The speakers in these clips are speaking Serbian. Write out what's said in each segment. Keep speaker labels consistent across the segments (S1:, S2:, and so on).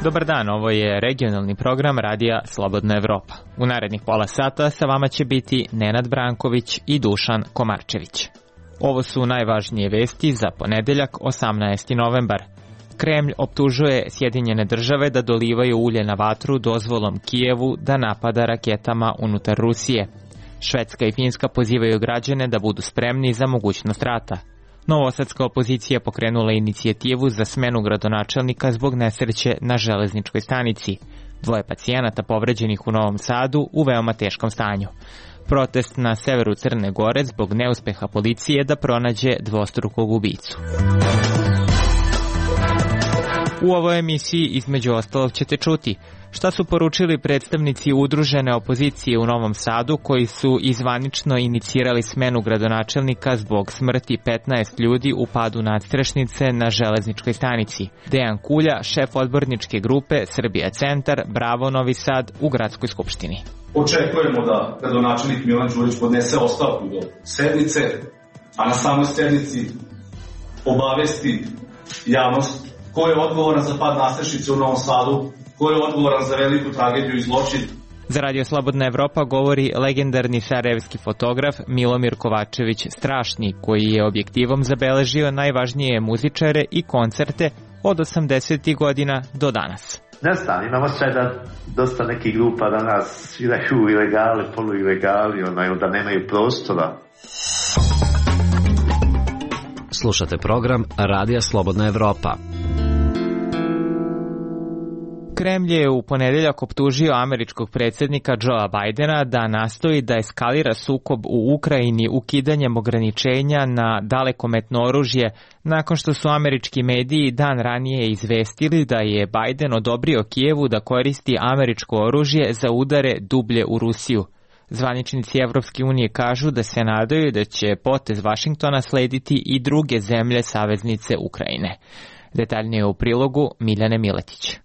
S1: Dobar dan, ovo je regionalni program Radija Slobodna Evropa. U narednih pola sata sa vama će biti Nenad Branković i Dušan Komarčević. Ovo su najvažnije vesti za ponedeljak, 18. novembar. Kremlj optužuje Sjedinjene države da dolivaju ulje na vatru dozvolom Kijevu da napada raketama unutar Rusije. Švedska i Finska pozivaju građane da budu spremni za mogućnost rata. Novosadska opozicija pokrenula inicijativu za smenu gradonačelnika zbog nesreće na železničkoj stanici. 2 pacijenata povređenih u Novom Sadu u veoma teškom stanju. Protest na severu Crne Gore zbog neuspeha policije da pronađe dvostrukog ubicu. U ovoj emisiji između ostalog ćete čuti šta su poručili predstavnici udružene opozicije u Novom Sadu koji su izvanično inicirali smenu gradonačelnika zbog smrti 15 ljudi u padu nadstrešnice na železničkoj stanici. Dejan Kulja, šef odborničke grupe Srbija Centar, Bravo Novi Sad u Gradskoj skupštini.
S2: Očekujemo da gradonačelnik Milan Đurić podnese ostavku do sednice, a na samoj sednici obavesti javnost ko je odgovoran za pad nadstrešnice u Novom Sadu, ko je odgovoran za veliku tragediju i zločin.
S1: Za Radio Slobodna Evropa govori legendarni sarajevski fotograf Milomir Kovačević Strašni, koji je objektivom zabeležio najvažnije muzičare i koncerte od 80. godina do danas.
S3: Ne znam, imamo sve da dosta nekih grupa danas sviraju ilegali, poluilegali, onda nemaju prostora.
S4: Slušate program Radija Slobodna Evropa.
S1: Kremlj je u ponedeljak optužio američkog predsjednika Joea Bidena da nastoji da eskalira sukob u Ukrajini ukidanjem ograničenja na dalekometno oružje nakon što su američki mediji dan ranije izvestili da je Biden odobrio Kijevu da koristi američko oružje za udare dublje u Rusiju. Zvaničnici Evropske unije kažu da se nadaju da će potez Vašingtona slediti i druge zemlje saveznice Ukrajine. Detaljnije u prilogu Miljane Miletić.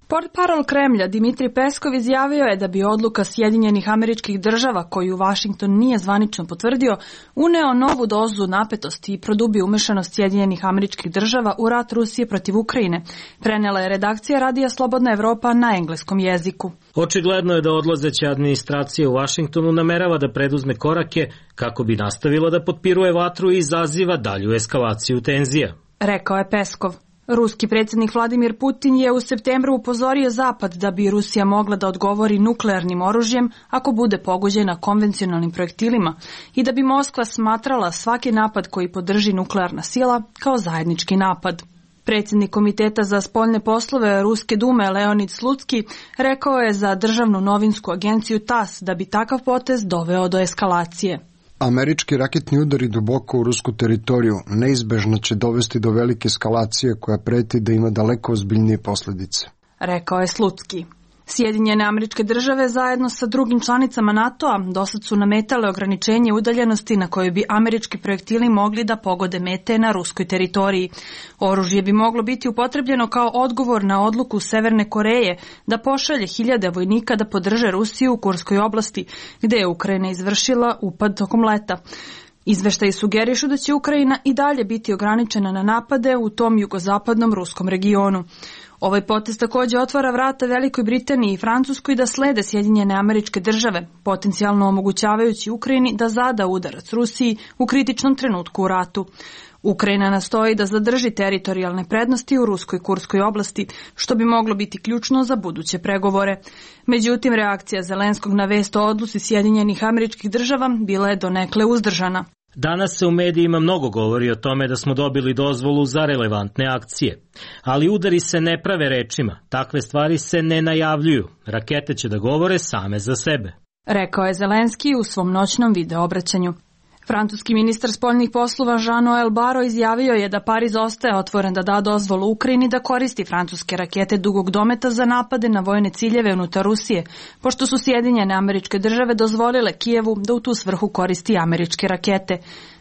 S5: Portparol Kremlja Dimitrij Peskov izjavio je da bi odluka Sjedinjenih Američkih Država, koju Vašington nije zvanično potvrdio, uneo novu dozu napetosti i produbio umešanost Sjedinjenih Američkih Država u rat Rusije protiv Ukrajine, prenela je redakcija Radija Slobodna Evropa na engleskom jeziku.
S6: Očigledno je da odlazeća administracija u Vašingtonu namerava da preduzme korake kako bi nastavila da potpiruje vatru i izaziva dalju eskalaciju tenzija,
S5: rekao je Peskov. Ruski predsjednik Vladimir Putin je u septembru upozorio Zapad da bi Rusija mogla da odgovori nuklearnim oružjem ako bude pogođena konvencionalnim projektilima i da bi Moskva smatrala svaki napad koji podrži nuklearna sila kao zajednički napad. Predsjednik Komiteta za spoljne poslove Ruske dume Leonid Slutski rekao je za državnu novinsku agenciju TASS da bi takav potez doveo do eskalacije.
S7: Američki raketni udari duboko u rusku teritoriju neizbežno će dovesti do velike eskalacije koja preti da ima daleko ozbiljnije posljedice,
S5: rekao je Slutski. Sjedinjene Američke Države zajedno sa drugim članicama NATO-a dosad su nametale ograničenje udaljenosti na kojoj bi američki projektili mogli da pogode mete na ruskoj teritoriji. Oružje bi moglo biti upotrebljeno kao odgovor na odluku Severne Koreje da pošalje 1000 vojnika da podrže Rusiju u Kurskoj oblasti, gde je Ukrajina izvršila upad tokom leta. Izveštaji sugerišu da će Ukrajina i dalje biti ograničena na napade u tom jugozapadnom ruskom regionu. Ovaj potez također otvara vrata Velikoj Britaniji i Francuskoj da slede Sjedinjene Američke Države, potencijalno omogućavajući Ukrajini da zada udarac Rusiji u kritičnom trenutku u ratu. Ukrajina nastoji da zadrži teritorijalne prednosti u ruskoj Kurskoj oblasti, što bi moglo biti ključno za buduće pregovore. Međutim, reakcija Zelenskog na vest o odluci Sjedinjenih Američkih Država bila je donekle uzdržana.
S6: Danas se u medijima mnogo govori o tome da smo dobili dozvolu za relevantne akcije. Ali udari se ne prave rečima, takve stvari se ne najavljuju. Rakete će da govore same za sebe,
S5: rekao je Zelenski u svom noćnom videoobraćanju. Francuski ministar spoljnih poslova Jean-Noël Barrot izjavio je da Pariz ostaje otvoren da da dozvolu Ukrajini da koristi francuske rakete dugog dometa za napade na vojne ciljeve unutar Rusije, pošto su Sjedinjene Američke Države dozvolile Kijevu da u tu svrhu koristi američke rakete.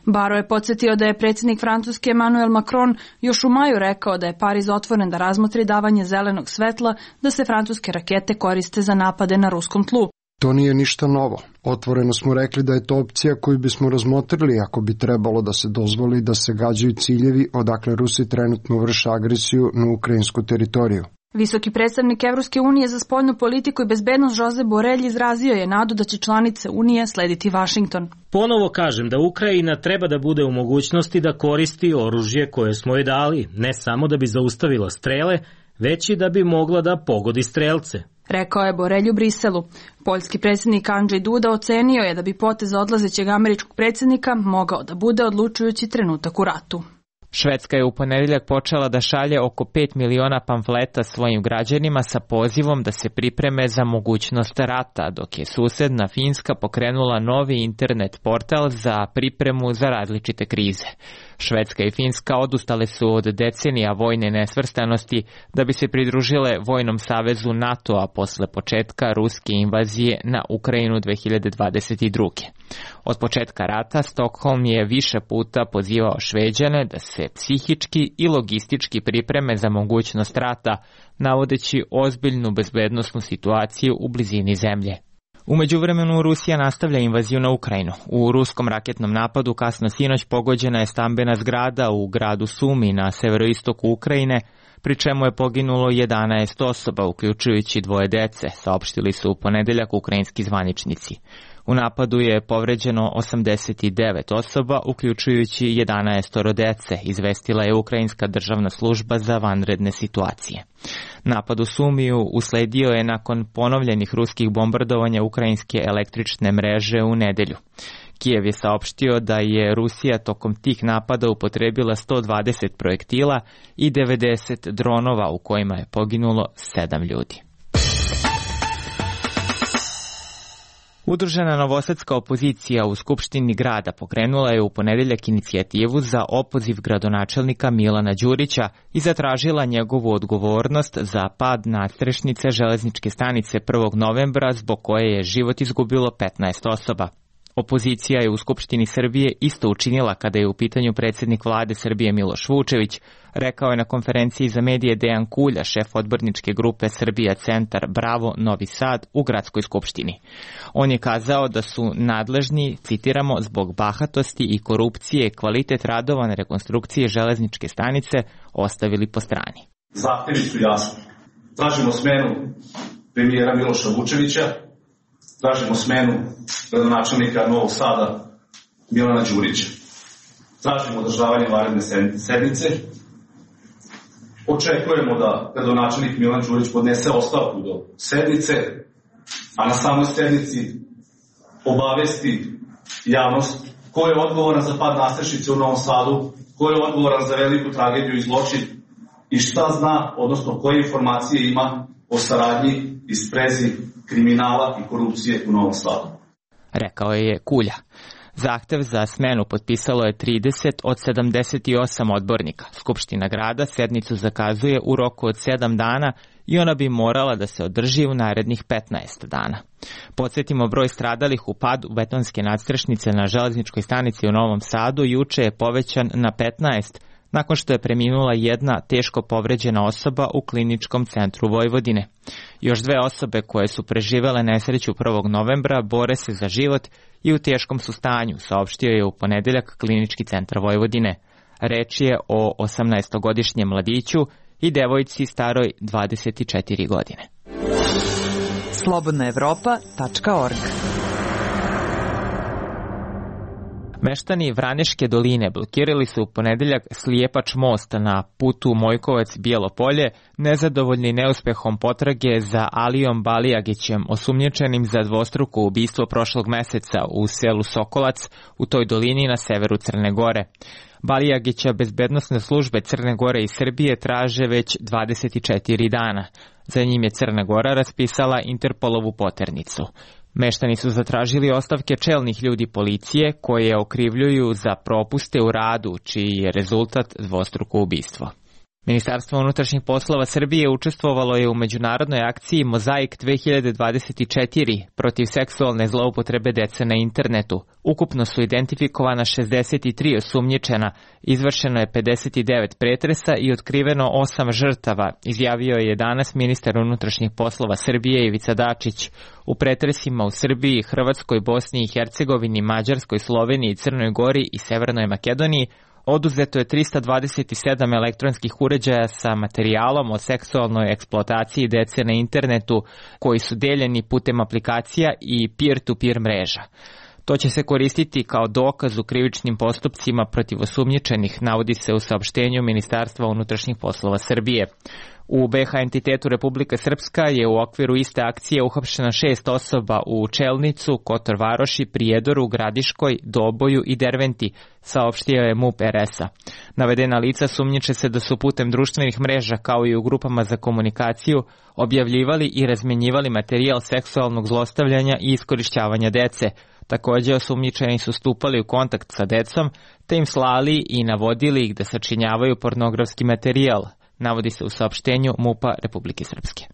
S5: Barrot je podsjetio da je predsjednik Francuske Emmanuel Macron još u maju rekao da je Pariz otvoren da razmotri davanje zelenog svetla da se francuske rakete koriste za napade na ruskom tlu.
S7: To nije ništa novo. Otvoreno smo rekli da je to opcija koju bismo razmotrili ako bi trebalo da se dozvoli da se gađaju ciljevi odakle Rusi trenutno vrše agresiju na ukrajinsku teritoriju.
S5: Visoki predstavnik Evropske unije za spoljnu politiku i bezbednost Josep Borrell izrazio je nadu da će članice Unije slediti Vašington.
S6: Ponovo kažem da Ukrajina treba da bude u mogućnosti da koristi oružje koje smo joj dali, ne samo da bi zaustavila strele, već i da bi mogla da pogodi strelce.
S5: Rekao je Borrell u Briselu. Poljski predsjednik Andrzej Duda ocenio je da bi potez odlazećeg američkog predsjednika mogao da bude odlučujući trenutak u ratu.
S1: Švedska je u ponedeljak počela da šalje oko 5 miliona pamfleta svojim građanima sa pozivom da se pripreme za mogućnost rata, dok je susedna Finska pokrenula novi internet portal za pripremu za različite krize. Švedska i Finska odustale su od decenija vojne nesvrstanosti da bi se pridružile vojnom savezu NATO-a posle početka ruske invazije na Ukrajinu 2022. Od početka rata Stockholm je više puta pozivao Šveđane da se psihički i logistički pripreme za mogućnost rata, navodeći ozbiljnu bezbednosnu situaciju u blizini zemlje. U međuvremenu Rusija nastavlja invaziju na Ukrajinu. U ruskom raketnom napadu kasno sinoć pogođena je stambena zgrada u gradu Sumi na severoistoku Ukrajine, pri čemu je poginulo 11 osoba, uključujući 2 dece, saopštili su u ponedeljak ukrajinski zvaničnici. U napadu je povređeno 89 osoba, uključujući 11 dece, izvestila je Ukrajinska državna služba za vanredne situacije. Napad u Sumiju usledio je nakon ponovljenih ruskih bombardovanja ukrajinske električne mreže u nedelju. Kijev je saopštio da je Rusija tokom tih napada upotrebila 120 projektila i 90 dronova u kojima je poginulo 7 ljudi. Udružena novosadska opozicija u Skupštini grada pokrenula je u ponedeljak inicijativu za opoziv gradonačelnika Milana Đurića i zatražila njegovu odgovornost za pad nadstrešnice železničke stanice 1. novembra zbog koje je život izgubilo 15 osoba. Opozicija je u Skupštini Srbije isto učinila kada je u pitanju predsjednik vlade Srbije Miloš Vučević, rekao je na konferenciji za medije Dejan Kulja, šef odborničke grupe Srbija Centar Bravo Novi Sad u gradskoj skupštini. On je kazao da su nadležni, citiramo, zbog bahatosti i korupcije kvalitet radova na rekonstrukcije železničke stanice ostavili po strani.
S2: Zahtevi su jasni. Tražimo smenu premijera Miloša Vučevića, tražimo smenu gradonačelnika Novog Sada Milana Đurića. Tražimo održavanje vanredne sednice. Očekujemo da gradonačelnik Milan Đurić podnese ostavku do sednice, a na samoj sednici obavesti javnost ko je odgovoran za pad nadstrešnice u Novom Sadu, ko je odgovoran za veliku tragediju i zločin i šta zna, odnosno koje informacije ima o saradnji i sprezi kriminala i korupcije u Novom Sadu.
S1: Rekao je Kulja. Zahtev za smenu potpisalo je 30 od 78 odbornika. Skupština grada sednicu zakazuje u roku od 7 dana i ona bi morala da se održi u narednih 15 dana. Podsjetimo, broj stradalih u padu betonske nadstrešnice na železničkoj stanici u Novom Sadu juče je povećan na 15, nakon što je preminula jedna teško povređena osoba u kliničkom centru Vojvodine. Još 2 osobe koje su preživele nesreću 1. novembra bore se za život i u teškom su stanju, saopštio je u ponedeljak klinički centar Vojvodine. Reč je o 18-godišnjem mladiću i devojci staroj 24 godine.
S8: slobodnaevropa.org.
S1: Meštani Vraneške doline blokirali su u ponedeljak slijepač most na putu Mojkovac-Bijelo Polje, nezadovoljni neuspehom potrage za Alijom Balijagićem, osumnjičenim za dvostruko ubistvo prošlog meseca u selu Sokolac u toj dolini na severu Crne Gore. Balijagića bezbednosne službe Crne Gore i Srbije traže već 24 dana. Za njim je Crna Gora raspisala Interpolovu poternicu. Meštani su zatražili ostavke čelnih ljudi policije koje okrivljuju za propuste u radu, čiji je rezultat dvostruko ubistvo. Ministarstvo unutrašnjih poslova Srbije učestvovalo je u međunarodnoj akciji Mozaik 2024 protiv seksualne zloupotrebe dece na internetu. Ukupno su identifikovana 63 osumnjičena, izvršeno je 59 pretresa i otkriveno 8 žrtava, izjavio je danas ministar unutrašnjih poslova Srbije Ivica Dačić. U pretresima u Srbiji, Hrvatskoj, Bosni i Hercegovini, Mađarskoj, Sloveniji, Crnoj Gori i Severnoj Makedoniji oduzeto je 327 elektronskih uređaja sa materijalom o seksualnoj eksploataciji dece na internetu koji su deljeni putem aplikacija i peer-to-peer mreža. To će se koristiti kao dokaz u krivičnim postupcima protiv osumnjičenih, navodi se u saopštenju Ministarstva unutrašnjih poslova Srbije. U BiH entitetu Republika Srpska je u okviru iste akcije uhapšeno 6 osoba u Čelnicu, Kotor Varoši, Prijedoru, Gradiškoj, Doboju i Derventi, saopštio je MUP RS-a. Navedena lica sumnjiče se da su putem društvenih mreža kao i u grupama za komunikaciju objavljivali i razmenjivali materijal seksualnog zlostavljanja i iskorišćavanja dece. Također osumnjičeni su stupali u kontakt sa decom te im slali i navodili ih da sačinjavaju pornografski materijal, navodi se u saopštenju MUP-a Republike Srpske.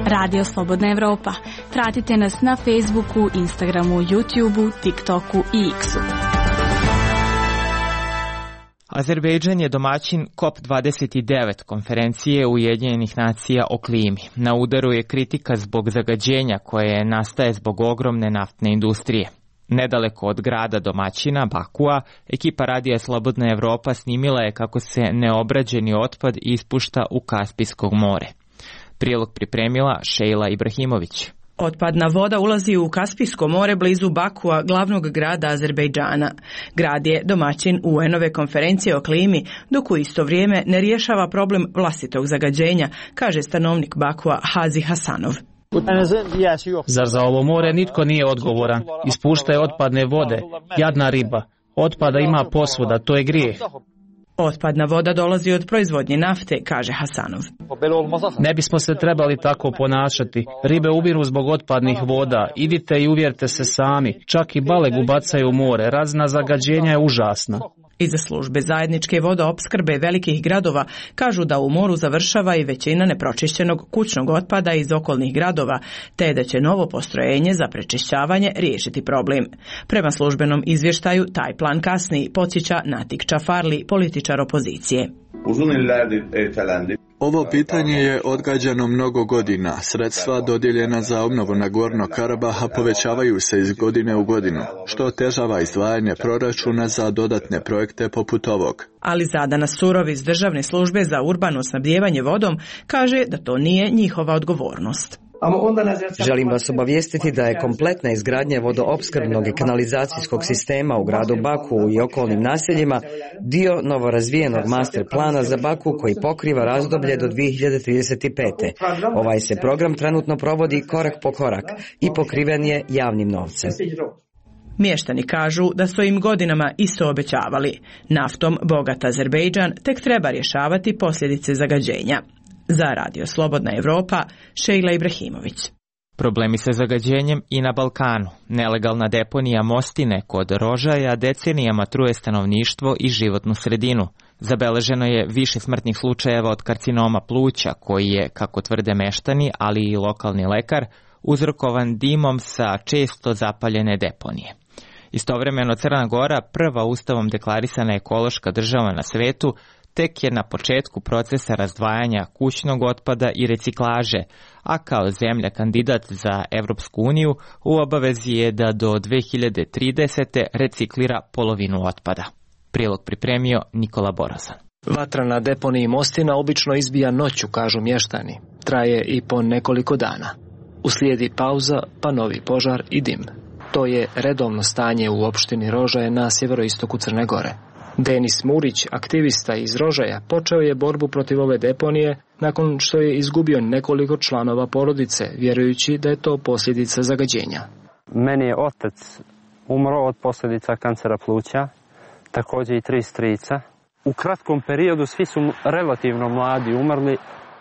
S5: Radio Slobodna Evropa. Pratite nas na Facebooku, Instagramu, YouTubeu, TikToku i X-u.
S1: Azerbejdžan je domaćin COP29 konferencije Ujedinjenih nacija o klimi. Na udaru je kritika zbog zagađenja koje nastaje zbog ogromne naftne industrije. Nedaleko od grada domaćina, Bakua, ekipa Radija Slobodna Evropa snimila je kako se neobrađeni otpad ispušta u Kaspijsko more. Prilog pripremila Šejla Ibrahimović.
S8: Otpadna voda ulazi u Kaspijsko more blizu Bakua, glavnog grada Azerbejdžana. Grad je domaćin UN-ove konferencije o klimi, dok u isto vrijeme ne rješava problem vlastitog zagađenja, kaže stanovnik Bakua Hazi Hasanov.
S9: Zar za ovo more nitko nije odgovoran? Ispušta je otpadne vode, jadna riba. Otpada ima posvuda, to je grijeh.
S8: Otpadna voda dolazi od proizvodnje nafte, kaže Hasanov.
S9: Ne bismo se trebali tako ponašati. Ribe umiru zbog otpadnih voda. Idite i uvjerite se sami. Čak i balegu bacaju u more. Razina zagađenja je užasna.
S8: Iza službe zajedničke vodoopskrbe velikih gradova kažu da u moru završava i većina nepročišćenog kućnog otpada iz okolnih gradova, te da će novo postrojenje za prečišćavanje riješiti problem. Prema službenom izvještaju, taj plan kasni, podsjeća Natik Čafarli, političar opozicije.
S10: Ovo pitanje je odgađano mnogo godina. Sredstva dodijeljena za obnovu Nagorno Karabaha povećavaju se iz godine u godinu, što otežava izdvajanje proračuna za dodatne projekte poput ovog.
S8: Ali Zadana Surov iz Državne službe za urbano snabdijevanje vodom kaže da to nije njihova odgovornost.
S11: Želim vas obavijestiti da je kompletna izgradnja vodoopskrbnog i kanalizacijskog sistema u gradu Baku i okolnim naseljima dio novorazvijenog master plana za Baku koji pokriva razdoblje do 2035. Ovaj se program trenutno provodi korak po korak i pokriven je javnim novcem.
S8: Mještani kažu da su im godinama isto obećavali. Naftom bogat Azerbejdžan tek treba rješavati posljedice zagađenja. Za Radio Slobodna Evropa, Šejla Ibrahimović.
S1: Problemi sa zagađenjem i na Balkanu. Nelegalna deponija Mostine kod Rožaja decenijama truje stanovništvo i životnu sredinu. Zabeleženo je više smrtnih slučajeva od karcinoma pluća, koji je, kako tvrde meštani, ali i lokalni lekar, uzrokovan dimom sa često zapaljene deponije. Istovremeno Crna Gora, prva ustavom deklarisana ekološka država na svetu, tek je na početku procesa razdvajanja kućnog otpada i reciklaže, a kao zemlja kandidat za Evropsku uniju u obavezi je da do 2030. reciklira polovinu otpada. Prilog pripremio Nikola Borozan.
S12: Vatra na deponiji Mostina obično izbija noću, kažu mještani. Traje i po nekoliko dana. Uslijedi pauza, pa novi požar i dim. To je redovno stanje u opštini Rožaje na sjeveroistoku Crne Gore. Denis Murić, aktivista iz Rožaja, počeo je borbu protiv ove deponije nakon što je izgubio nekoliko članova porodice, vjerujući da je to posljedica zagađenja.
S13: Meni je otac umro od posljedica kancera pluća, također i 3 strica. U kratkom periodu svi su relativno mladi umrli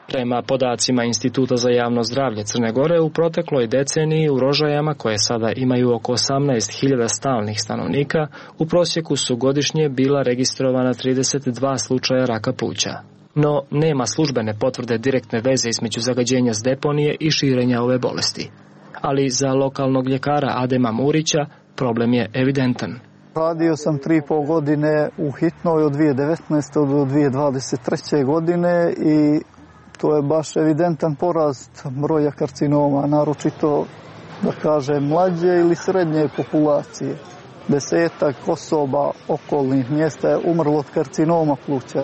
S12: Prema podacima Instituta za javno zdravlje Crne Gore, u protekloj deceniji u Rožajama, koje sada imaju oko 18.000 stalnih stanovnika, u prosjeku su godišnje bila registrovana 32 slučaja raka pluća. No, nema službene potvrde direktne veze između zagađenja s deponije i širenja ove bolesti. Ali za lokalnog ljekara Adema Murića problem je evidentan.
S14: Radio sam 3,5 godine u hitnoj od 2019. do 2023. godine i to je baš evidentan porast broja karcinoma, naročito, da kažem, mlađe ili srednje populacije. 10 osoba okolnih mjesta je umrlo od karcinoma pluća.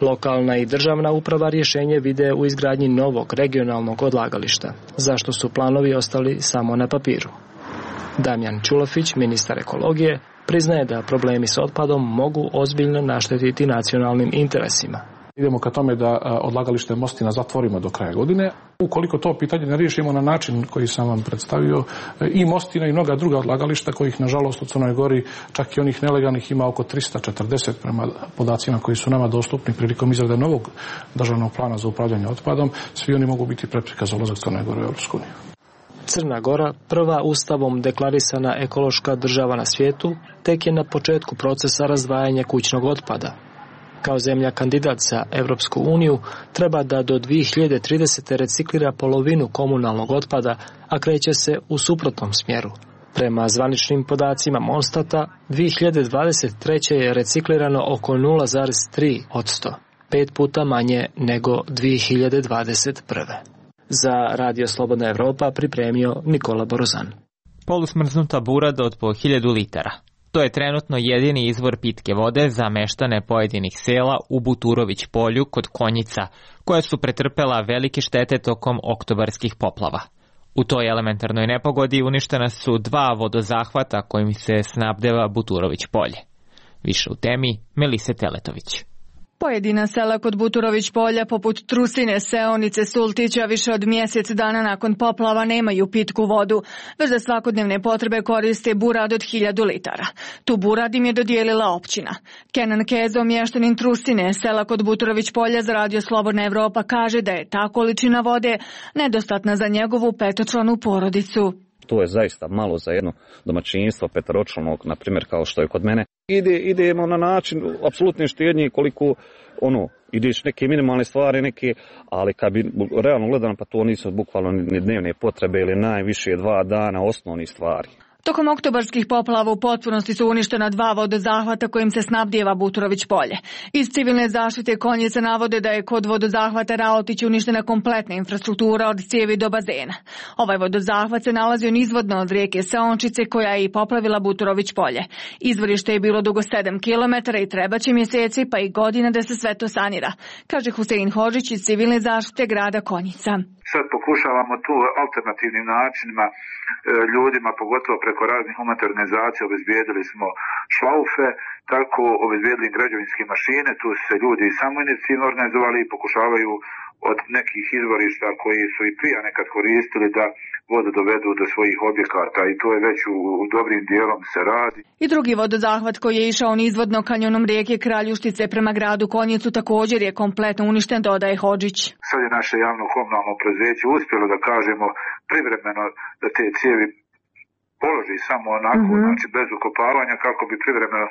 S12: Lokalna i državna uprava rješenje vide u izgradnji novog regionalnog odlagališta, zašto su planovi ostali samo na papiru. Damjan Čulofić, ministar ekologije, priznaje da problemi s otpadom mogu ozbiljno naštetiti nacionalnim interesima.
S15: Idemo ka tome da odlagalište Mostina zatvorimo do kraja godine. Ukoliko to pitanje ne riješimo na način koji sam vam predstavio, i Mostina i mnoga druga odlagališta kojih nažalost u Crnoj Gori čak i onih nelegalnih ima oko 340 prema podacima koji su nama dostupni prilikom izrade novog državnog plana za upravljanje otpadom, svi oni mogu biti prepreka za ulazak Crne Gore u Europsku uniju.
S12: Crna Gora, prva ustavom deklarisana ekološka država na svijetu, tek je na početku procesa razdvajanja kućnog otpada. Kao zemlja kandidat za Europsku uniju treba da do 2030. reciklira polovinu komunalnog otpada, a kreće se u suprotnom smjeru. Prema zvaničnim podacima Monstata, 2023. je reciklirano oko 0,3%, 5 puta manje nego 2021. Za Radio Slobodna Evropa pripremio Nikola Borozan.
S1: Polusmrznuta burada od po 1000 litara. To je trenutno jedini izvor pitke vode za meštane pojedinih sela u Buturović polju kod Konjica, koja su pretrpela velike štete tokom oktobarskih poplava. U toj elementarnoj nepogodi uništena su 2 vodozahvata kojim se snabdeva Buturović polje. Više u temi Melise Teletović.
S5: Pojedina sela kod Buturović polja, poput Trusine, Seonice, Sultića, više od mjesec dana nakon poplava nemaju pitku vodu, već za svakodnevne potrebe koriste burad od 1000 litara. Tu burad im je dodijelila općina. Kenan Kezo, mještanin Trusine, sela kod Buturović polja, za Radio Slobodna Evropa, kaže da je ta količina vode nedostatna za njegovu 5-članu porodicu.
S16: To je zaista malo za jedno domaćinstvo petaročlanog, na primjer kao što je kod mene. Idemo na način apsolutne štednje koliko ideš neke minimalne stvari, ali kad bi realno gledano, pa to nisu bukvalno ni dnevne potrebe ili najviše 2 dana osnovnih stvari.
S5: Tokom oktobarskih poplava u potpunosti su uništena 2 vodozahvata kojim se snabdijeva Buturović polje. Iz civilne zaštite Konjice navode da je kod vodozahvata Raotić uništena kompletna infrastruktura od cijevi do bazena. Ovaj vodozahvat se nalazio nizvodno od rijeke Seončice koja je i poplavila Buturović polje. Izvorište je bilo dugo 7 km i trebaće mjeseci pa i godina da se sve to sanira, kaže Husein Hodžić iz civilne zaštite grada Konjica.
S17: Sad pokušavamo tu alternativnim načinima ljudima, pogotovo preko raznih humanitarnih organizacija, obezbijedili smo šlaufe, tako obezbijedili građevinske mašine, tu su se ljudi samoinicijativno organizovali i pokušavaju od nekih izvorišta koji su i prije nekad koristili da vodu dovedu do svojih objekata i to je već u dobrim dijelom se radi.
S5: I drugi vodozahvat koji je išao nizvodno kanjonom rijeke Kraljuštice prema gradu Konjicu također je kompletno uništen, dodaje Hodžić.
S17: Sad je naše javno komunalno preduzeće uspjelo da kažemo privremeno da te cijevi položi samo onako, znači bez ukopavanja kako bi privremeno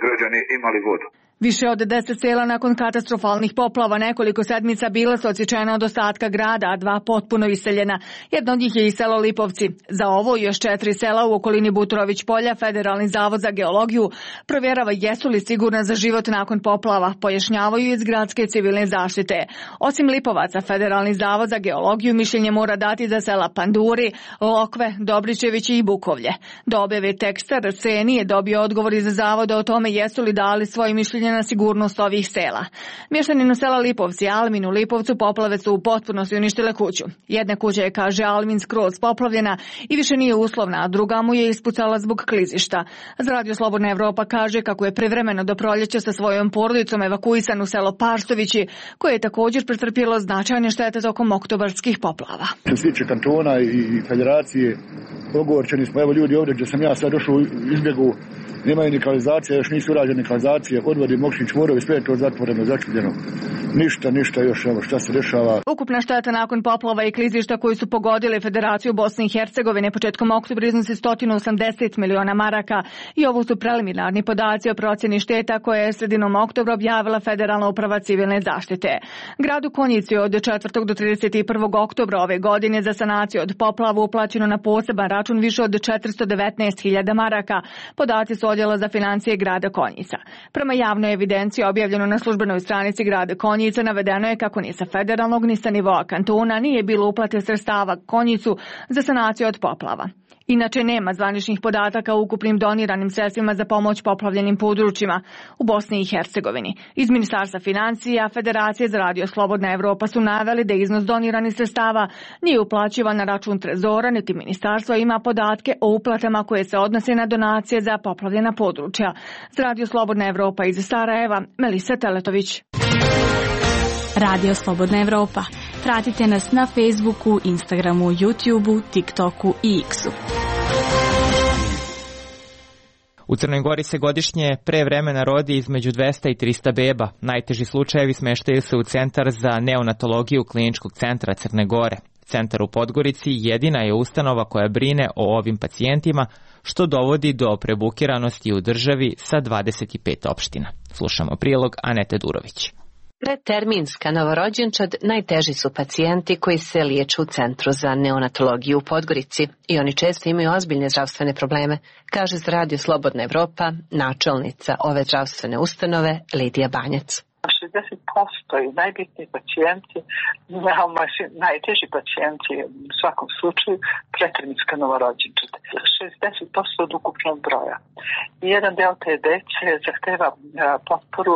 S17: građani imali vodu.
S5: Više od 10 sela nakon katastrofalnih poplava nekoliko sedmica bila su odsječena od ostatka grada, a 2 potpuno iseljena. Jedno od njih je i selo Lipovci. Za ovo i još 4 sela u okolini Buturović polja Federalni zavod za geologiju provjerava jesu li sigurna za život nakon poplava, pojašnjavaju iz gradske civilne zaštite. Osim Lipovaca, Federalni zavod za geologiju mišljenje mora dati za sela Panduri, Lokve, Dobričević i Bukovlje. Do objave teksta RC nije dobio odgovor iz zavoda o tome jesu li dali svoje mišljenje na sigurnost ovih sela. Mještaninu sela Lipovci, Almin u Lipovcu, poplave su u potpunosti uništile kuću. Jedna kuća je, kaže Almin, skroz poplavljena i više nije uslovna, a druga mu je ispucala zbog klizišta. Za Radio Slobodna Evropa kaže kako je privremeno do proljeća sa svojom porodicom evakuisan u selo Parštovići, koje je također pretrpjelo značajne štete tokom oktobarskih poplava.
S18: Što se tiče kantona i federacije, ogorčeni smo, evo ljudi ovdje gdje sam ja sad došao izbjegu, nemaju ni kanalizacije, još nisu urađene kanalizacije, odvodi Mokšić, Morovi, sve je to zatvoreno, začupljeno. Ništa još, evo šta se dešava.
S19: Ukupna šteta nakon poplava i klizišta koji su pogodili Federaciju Bosne i Hercegovine početkom oktobra iznosi 180 miliona maraka i ovo su preliminarni podaci o procjeni šteta koje je sredinom oktobra objavila Federalna uprava civilne zaštite. Gradu Konjici od 4. do 31. oktobra ove godine za sanaciju od poplava uplaćeno na poseban račun više od 419.000 maraka. Podaci su odjela za financije grada Konjica. Prema javnoj evidenciji objavljeno na službenoj stranici grada Konjica navedeno je kako ni sa federalnog ni sa nivoa kantona nije bilo uplate sredstava Konjicu za sanaciju od poplava. Inače, nema zvaničnih podataka o ukupnim doniranim sredstvima za pomoć poplavljenim područjima u Bosni i Hercegovini. Iz Ministarstva financija, Federacije za radio Slobodna Evropa su naveli da iznos doniranih sredstava nije uplaćivan na račun Trezora, niti ministarstvo ima podatke o uplatama koje se odnose na donacije za poplavljena područja. Za radio Slobodna Evropa iz Sarajeva, Melisa Teletović.
S20: Radio Slobodna Evropa. Pratite nas na Facebooku, Instagramu, YouTubeu, TikToku i X-u.
S1: U Crnoj Gori se godišnje pre vremena rodi između 200 i 300 beba. Najteži slučajevi smeštaju se u Centar za neonatologiju Kliničkog centra Crne Gore. Centar u Podgorici jedina je ustanova koja brine o ovim pacijentima, što dovodi do prebukiranosti u državi sa 25 opština. Slušamo prilog Anete Durović.
S21: Predterminska novorođenčad najteži su pacijenti koji se liječu u Centru za neonatologiju u Podgorici i oni često imaju ozbiljne zdravstvene probleme, kaže za Radio Slobodna Evropa načelnica ove zdravstvene ustanove Lidija Banjac.
S22: 60% i najbitniji pacijenti, najteži pacijenti u svakom slučaju preterminska novorođenčad. 60% od ukupnog broja. I jedan deo te dece zahteva potporu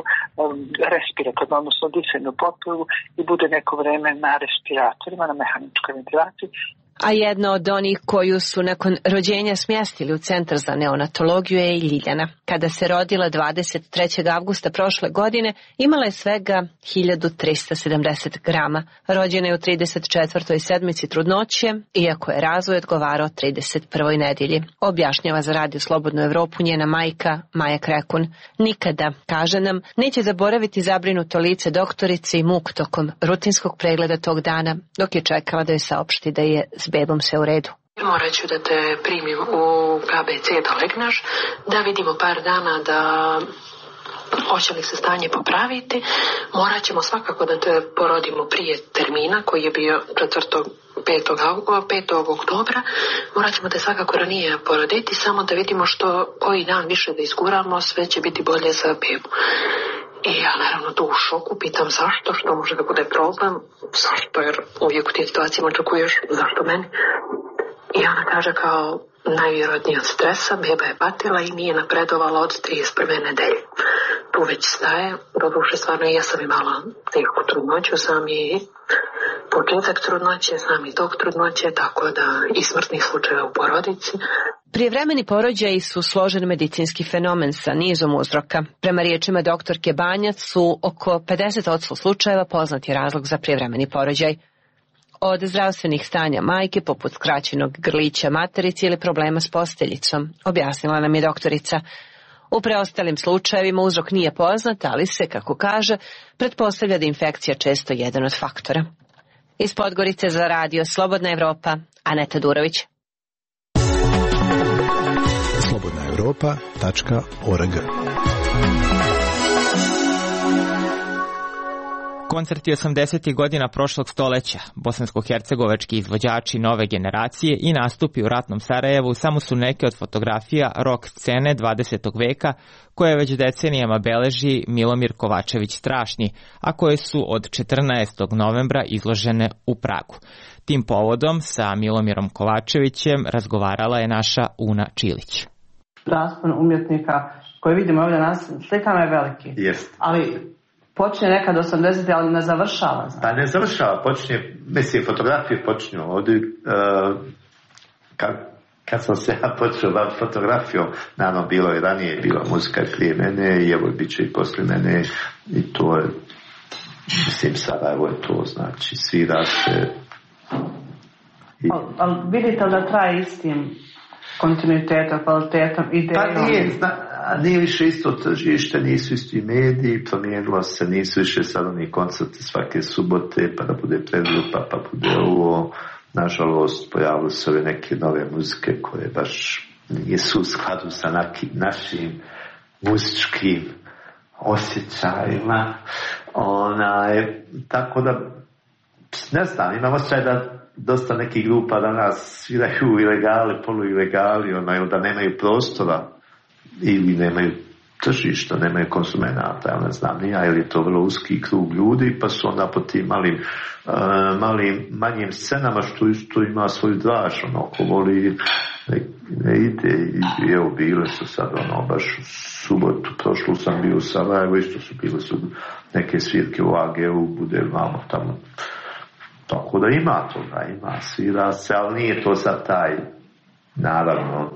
S22: respiratornu, odnosno disajnu potporu i bude neko vreme na respiratorima, na mehaničkoj ventilaciji.
S21: A jedna od onih koju su nakon rođenja smjestili u Centar za neonatologiju je i Ljiljana. Kada se rodila 23. avgusta prošle godine, imala je svega 1370 grama. Rođena je u 34. sedmici trudnoće, iako je razvoj odgovarao 31. nedjelji. Objašnjava za Radio Slobodnu Evropu njena majka Maja Krekun. Nikada, kaže nam, neće zaboraviti zabrinuto lice doktorice i muk tokom rutinskog pregleda tog dana, dok je čekala da joj saopšti da je s bebom sve u redu.
S23: Morat ću da te primim u KBC da legneš, da vidimo par dana da hoće li se stanje popraviti. Morat ćemo svakako da te porodimo prije termina koji je bio 5. oktobra. Morat ćemo te svakako ranije poroditi, samo da vidimo koji dan više da izguramo, sve će biti bolje za bebu. I ja naravno tu u šoku pitam zašto, što može da bude problem, zašto, jer uvijek u tim situacijama očekuješ zašto meni. I ona kaže kao najvjerojatnije od stresa, beba je patila i nije napredovala od 31. nedelje. Tu već staje, doduše stvarno i ja sam imala tešku trudnoću, sam i početak trudnoće, sam i tok trudnoće, tako da i smrtnih slučajeva u porodici.
S21: Prijevremeni porođaji su složen medicinski fenomen sa nizom uzroka. Prema riječima doktorke Banjac su oko 50% slučajeva poznati razlog za prijevremeni porođaj. Od zdravstvenih stanja majke, poput skraćenog grlića materice ili problema s posteljicom, objasnila nam je doktorica. U preostalim slučajevima uzrok nije poznat, ali se, kako kaže, pretpostavlja da infekcija često jedan od faktora. Iz Podgorice za Radio Slobodna Evropa, Aneta Durović.
S24: slobodnaevropa.org.
S1: Koncerti 80. godina prošlog stoleća, bosansko-hercegovački izvođači nove generacije i nastupi u ratnom Sarajevu samo su neke od fotografija rock scene 20. veka koje već decenijama beleži Milomir Kovačević Strašni, a koje su od 14. novembra izložene u Pragu. Tim povodom sa Milomirom Kovačevićem razgovarala je naša Una Čilić.
S25: Raspon umjetnika koji vidimo ovdje nas slikama je veliki.
S3: Jest.
S25: Ali počinje nekad 80. ali ne završava.
S3: Pa ne završava, počinje, mislim, fotografije počinju ovdje, kad sam se ja počeo baviti fotografijom, naravno bilo je ranije, bila muzika prije mene i evo bit će i poslije mene i to je, mislim, Sarajevo je to, znači, svira se.
S25: Ali vidite da traje istim kontinuitetom, kvalitetom, idejom?
S3: Pa nije, nije više isto tržište, nisu isti mediji, promijenilo se, nisu više sad oni koncerti svake subote, pa da bude predgrupa, pa bude ovo. Nažalost, pojavili se ove neke nove muzike koje baš nisu u skladu sa našim muzičkim osjećajima. Tako da, ne znam, imam osjećaj da dosta nekih grupa danas sviraju ilegali, poluilegali, da nemaju prostora ili nemaju tržišta, nemaju konsumenata, ja ne znam nija, ili je to vrlo uski krug ljudi, pa su onda po tim manjim scenama, što isto ima svoju draž, ko voli ne ide, i evo bile su sad, baš u subotu, prošlu sam bio u Sarajevu, isto su bile su neke svirke u AG-u, bude vamo tamo. Tako da ima toga, svira se, ali nije to sad taj, naravno,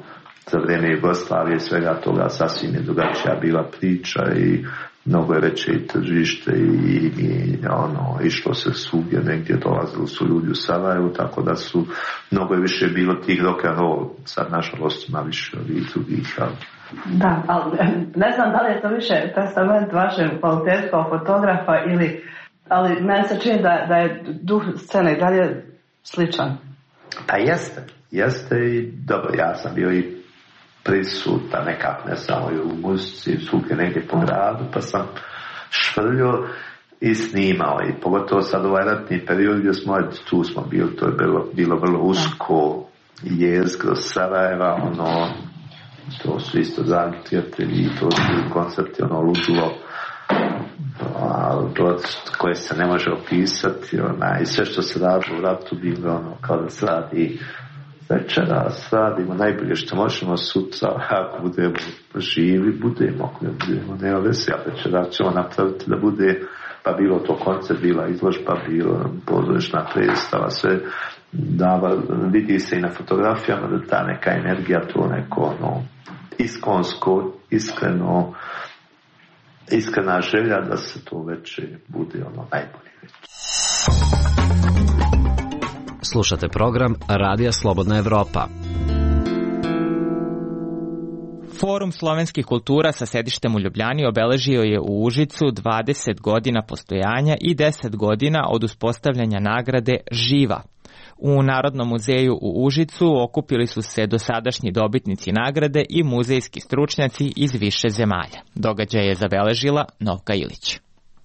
S3: za vrijeme Jugoslavije svega toga sasvim je drugačija bila priča i mnogo je veće i tržište i išlo se svugdje, negdje dolazili su ljudi u Sarajevu, tako da su mnogo je više bilo tih rock and roll, sad nažalost ima više ovih drugih.
S25: Da, ali ne znam da li je to više testament vašem kvalitetu kao fotografa ali meni se čini da je duh scene i dalje sličan.
S3: Pa jeste i dobro, ja sam bio i prisutan nekak, ne samo i u muzici, svugdje negdje po gradu, pa sam švrljio i snimao i pogotovo sad ovaj ratni period gdje tu smo bili, to je bilo vrlo usko jezgro Sarajeva, to su isto dragi prijatelji, to su koncerti, ludilo, koje se ne može opisati, i sve što se radi u ratu bilo kao da se radi večeras, radimo najbolje što možemo, sutra ako budemo živi, budemo, ako ne budemo, nema veze, a večeras ćemo napraviti da bude, pa bilo to koncert, bila izložba, bilo pozorišna predstava, sve vidi se i na fotografijama da ta neka energija, to neko iskonsko, iskrena želja da se to veće bude najbolje već.
S2: Slušate program Radija Slobodna Evropa.
S1: Forum slovenskih kultura sa sedištem u Ljubljani obeležio je u Užicu 20 godina postojanja i 10 godina od uspostavljanja nagrade Živa. U Narodnom muzeju u Užicu okupili su se dosadašnji dobitnici nagrade i muzejski stručnjaci iz više zemalja. Događaj je zabeležila Novka Ilić.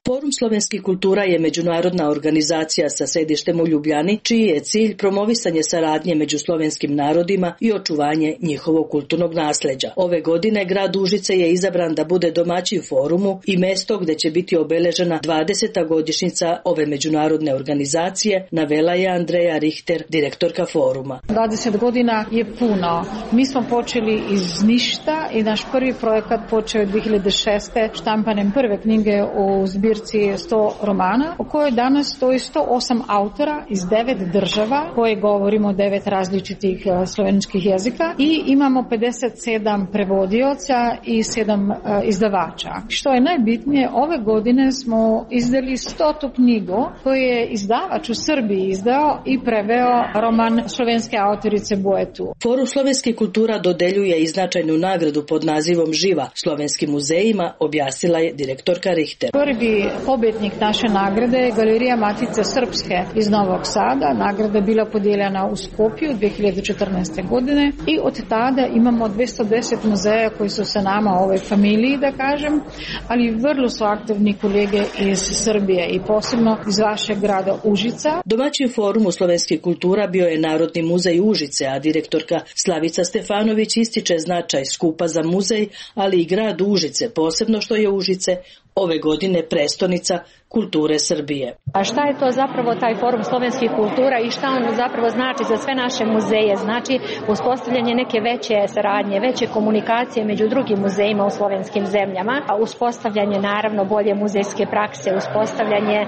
S4: Forum slovenskih kultura je međunarodna organizacija sa sedištem u Ljubljani, čiji je cilj promovisanje saradnje među slovenskim narodima i očuvanje njihovog kulturnog nasleđa. Ove godine grad Užice je izabran da bude domaćin forumu i mesto gde će biti obeležena 20. godišnjica ove međunarodne organizacije, navela je Andreja Richter, direktorka foruma.
S6: 20 godina je puno. Mi smo počeli iz ništa i naš prvi projekat počeo 2006. štampanjem prve knjige u zbirci 100 romana, u kojoj danas stoji 108 autora iz 9 država, koje govorimo 9 različitih sloveničkih jezika i imamo 57 prevodioca i 7 izdavača. Što je najbitnije, ove godine smo izdali 100. knjigu koju je izdavač u Srbiji izdao i preveo roman slovenske autorice Boetu.
S4: Forum slovenskih kultura dodeljuje i značajnu nagradu pod nazivom Živa slovenskim muzejima, objasnila je direktorka Richter.
S6: Prvi pobjednik naše nagrade je Galerija Matice Srpske iz Novog Sada. Nagrada je bila podijeljena u Skopju 2014. godine i od tada imamo 210 muzeja koji su sa nama u ovoj familiji, da kažem, ali vrlo su aktivni kolege iz Srbije i posebno iz vašeg grada Užica.
S4: Domaćin forumu slovenskih kultura bio je Narodni muzej Užice, a direktorka Slavica Stefanović ističe značaj skupa za muzej, ali i grad Užice, posebno što je Užice ove godine prestonica kulture Srbije.
S7: A šta je to zapravo taj forum slovenskih kultura i šta on zapravo znači za sve naše muzeje? Znači uspostavljanje neke veće saradnje, veće komunikacije među drugim muzejima u slovenskim zemljama, a uspostavljanje naravno bolje muzejske prakse, uspostavljanje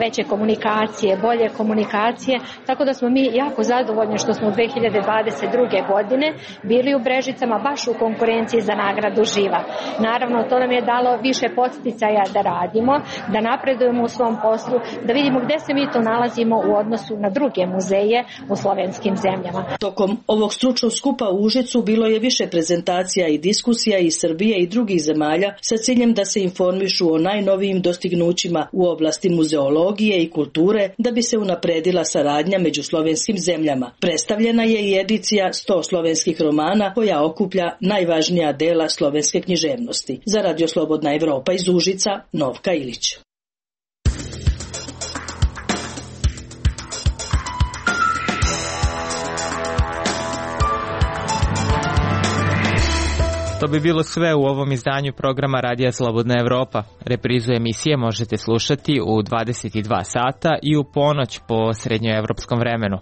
S7: veće komunikacije, bolje komunikacije, tako da smo mi jako zadovoljni što smo u 2022. godine bili u Brežicama baš u konkurenciji za nagradu Živa. Naravno to nam je dalo više podsticaja da radimo, da napredujemo napredujemo u svom poslu, da vidimo gde se mi to nalazimo u odnosu na druge muzeje u slovenskim zemljama.
S4: Tokom ovog stručnog skupa u Užicu bilo je više prezentacija i diskusija iz Srbije i drugih zemalja sa ciljem da se informišu o najnovijim dostignućima u oblasti muzeologije i kulture da bi se unapredila saradnja među slovenskim zemljama. Predstavljena je i edicija 100 slovenskih romana koja okuplja najvažnija dela slovenske književnosti. Za Radio Slobodna Evropa iz Užica, Novka Ilić.
S1: To bi bilo sve u ovom izdanju programa Radija Slobodna Evropa. Reprizu emisije možete slušati u 22 sata i u ponoć po srednjoevropskom vremenu.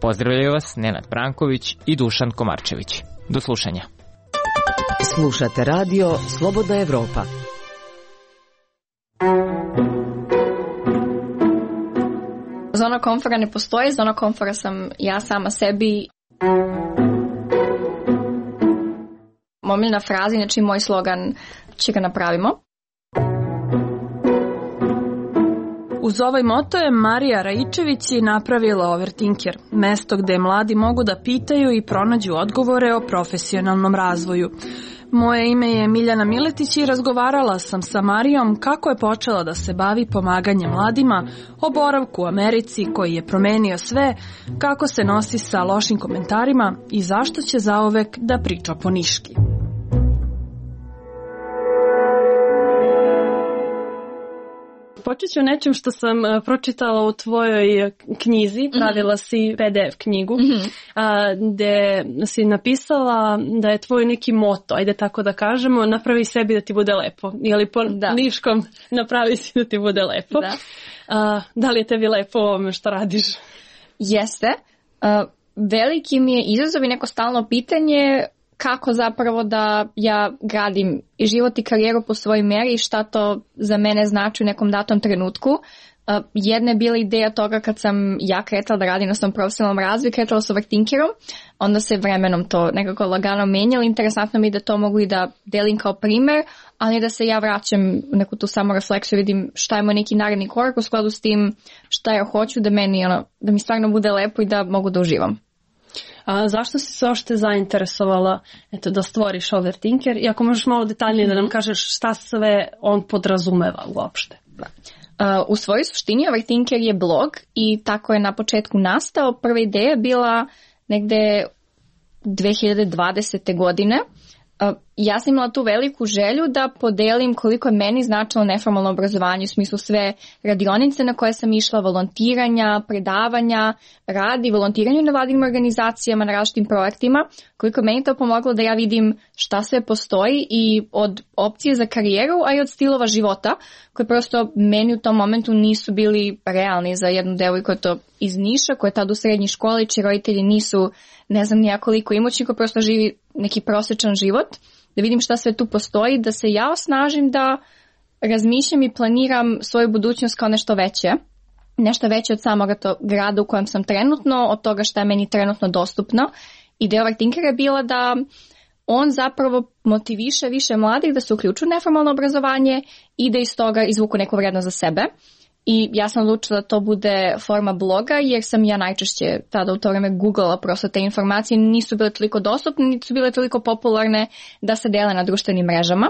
S1: Pozdravljaju vas Nenad Branković i Dušan Komarčević. Do slušanja.
S8: Slušate Radio Slobodna Evropa.
S9: Zona komfora ne postoji, zona komfora sam ja sama sebi. Omiljena fraza, znači moj slogan, će ga napravimo.
S5: Uz ovaj moto je Marija Raičević napravila Overthinker, mesto gde mladi mogu da pitaju i pronađu odgovore o profesionalnom razvoju. Moje ime je Miljana Miletić i razgovarala sam sa Marijom kako je počela da se bavi pomaganjem mladima, o boravku u Americi koji je promenio sve, kako se nosi sa lošim komentarima i zašto će zauvek da priča po niški. Počet ću nečem što sam pročitala u tvojoj knjizi, pravila si PDF knjigu, gde si napisala da je tvoj neki moto, ajde tako da kažemo, napravi sebi da ti bude lepo, ili po niškom napravi si da ti bude lepo. Da li je tebi lepo ovome što radiš?
S9: Jeste. Veliki mi je izazov i neko stalno pitanje kako zapravo da ja gradim i život i karijeru po svojoj meri i šta to za mene znači u nekom datom trenutku. Jedna je bila ideja toga kad sam ja kretala da radim na svom profesionalnom razvoju, kretala s Overthinkerom, onda se vremenom to nekako lagano menjalo. Interesantno mi je da to mogu i da delim kao primer, ali da se ja vraćam u neku tu samorefleksiju, vidim šta je moj neki naredni korak u skladu s tim šta ja hoću da meni, da mi stvarno bude lepo i da mogu da uživam.
S5: A zašto si se ošte zainteresovala da stvoriš Overthinker? I ako možeš malo detaljnije da nam kažeš šta sve on podrazumeva uopšte.
S9: U svojoj suštini Overthinker je blog i tako je na početku nastao. Prva ideja je bila negde 2020. godine. Ja sam imala tu veliku želju da podelim koliko je meni značilo neformalno obrazovanje, u smislu sve radionice na koje sam išla, volontiranja, predavanja, rad i volontiranje na vladinim organizacijama, na različitim projektima, koliko je meni to pomoglo da ja vidim šta sve postoji i od opcije za karijeru, a i od stilova života, koji prosto meni u tom momentu nisu bili realni za jednu devojku iz Niša, koja je tad u srednjoj školi, čiji roditelji nisu ne znam nijakoliko imućni, koji prosto živi neki prosječan život, da vidim šta sve tu postoji, da se ja osnažim da razmišljam i planiram svoju budućnost kao nešto veće od samog grada u kojem sam trenutno, od toga šta je meni trenutno dostupno. Ideja Overthinkera je bila da on zapravo motiviše više mladih da se uključu u neformalno obrazovanje i da iz toga izvuku neku vrednost za sebe. I ja sam odlučila da to bude forma bloga, jer sam ja najčešće tada u to vreme googlala, prosto te informacije nisu bile toliko dostupne, nisu bile toliko popularne da se dele na društvenim mrežama.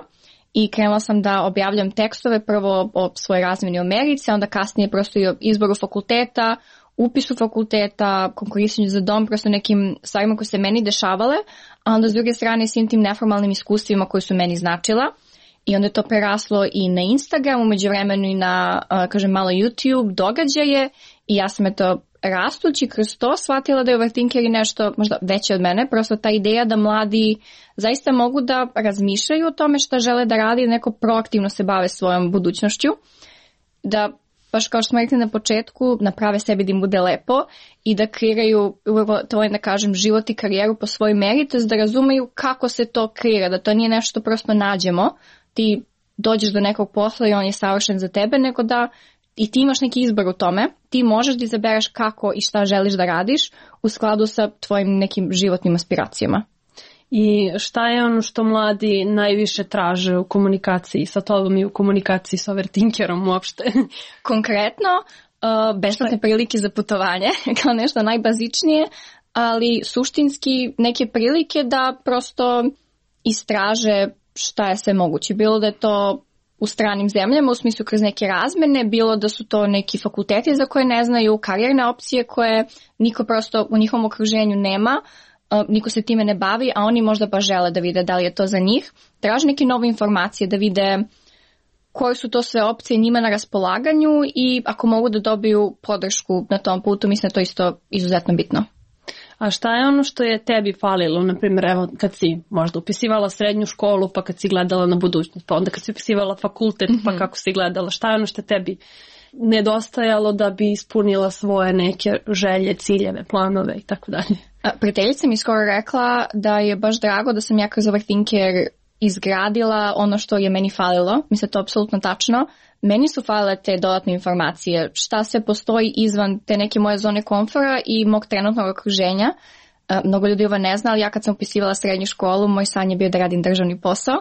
S9: I krenula sam da objavljam tekstove prvo o svojoj razmjeni u Americi, a onda kasnije prosto i o izboru fakulteta, upisu fakulteta, konkurisanju za dom, prosto nekim stvarima koje se meni dešavale, a onda s druge strane svim tim neformalnim iskustvima koji su meni značila. I onda je to preraslo i na Instagram, umeđu vremenu i na, malo YouTube događaje i ja sam rastući kroz to shvatila da je Overthinker i nešto možda veće od mene, prosto ta ideja da mladi zaista mogu da razmišljaju o tome šta žele da radi, neko proaktivno se bave svojom budućnošću, da baš kao što smo rekli na početku, naprave sebi da im bude lepo i da kreiraju, to je da kažem, život i karijeru po svojoj meri, to je da razumeju kako se to kreira, da to nije nešto što prosto nađemo, ti dođeš do nekog posla i on je savršen za tebe, nego da i ti imaš neki izbor u tome, ti možeš da izabereš kako i šta želiš da radiš u skladu sa tvojim nekim životnim aspiracijama.
S10: I šta je ono što mladi najviše traže u komunikaciji sa tobom i u komunikaciji sa overthinkerom uopšte?
S9: Konkretno, besplatne prilike za putovanje, kao nešto najbazičnije, ali suštinski neke prilike da prosto istraže šta je sve moguće. Bilo da je to u stranim zemljama, u smislu kroz neke razmene, bilo da su to neki fakulteti za koje ne znaju, karijerne opcije koje niko prosto u njihovom okruženju nema, niko se time ne bavi, a oni možda baš žele da vide da li je to za njih. Traže neke nove informacije, da vide koje su to sve opcije njima na raspolaganju i ako mogu da dobiju podršku na tom putu, mislim da to isto izuzetno bitno.
S10: A šta je ono što je tebi falilo, na primjer, evo kad si možda upisivala srednju školu, pa kad si gledala na budućnost, pa onda kad si upisivala fakultet, pa kako si gledala, šta je ono što tebi nedostajalo da bi ispunila svoje neke želje, ciljeve, planove i tako dalje?
S9: Prijateljica mi skoro rekla da je baš drago da sam ja kroz overthinker izgradila ono što je meni falilo. Mislim, to je apsolutno tačno. Meni su falile te dodatne informacije, šta se postoji izvan te neke moje zone komfora i mog trenutnog okruženja. Mnogo ljudi ovo ne zna, ali ja kad sam upisivala srednju školu, moj san je bio da radim državni posao,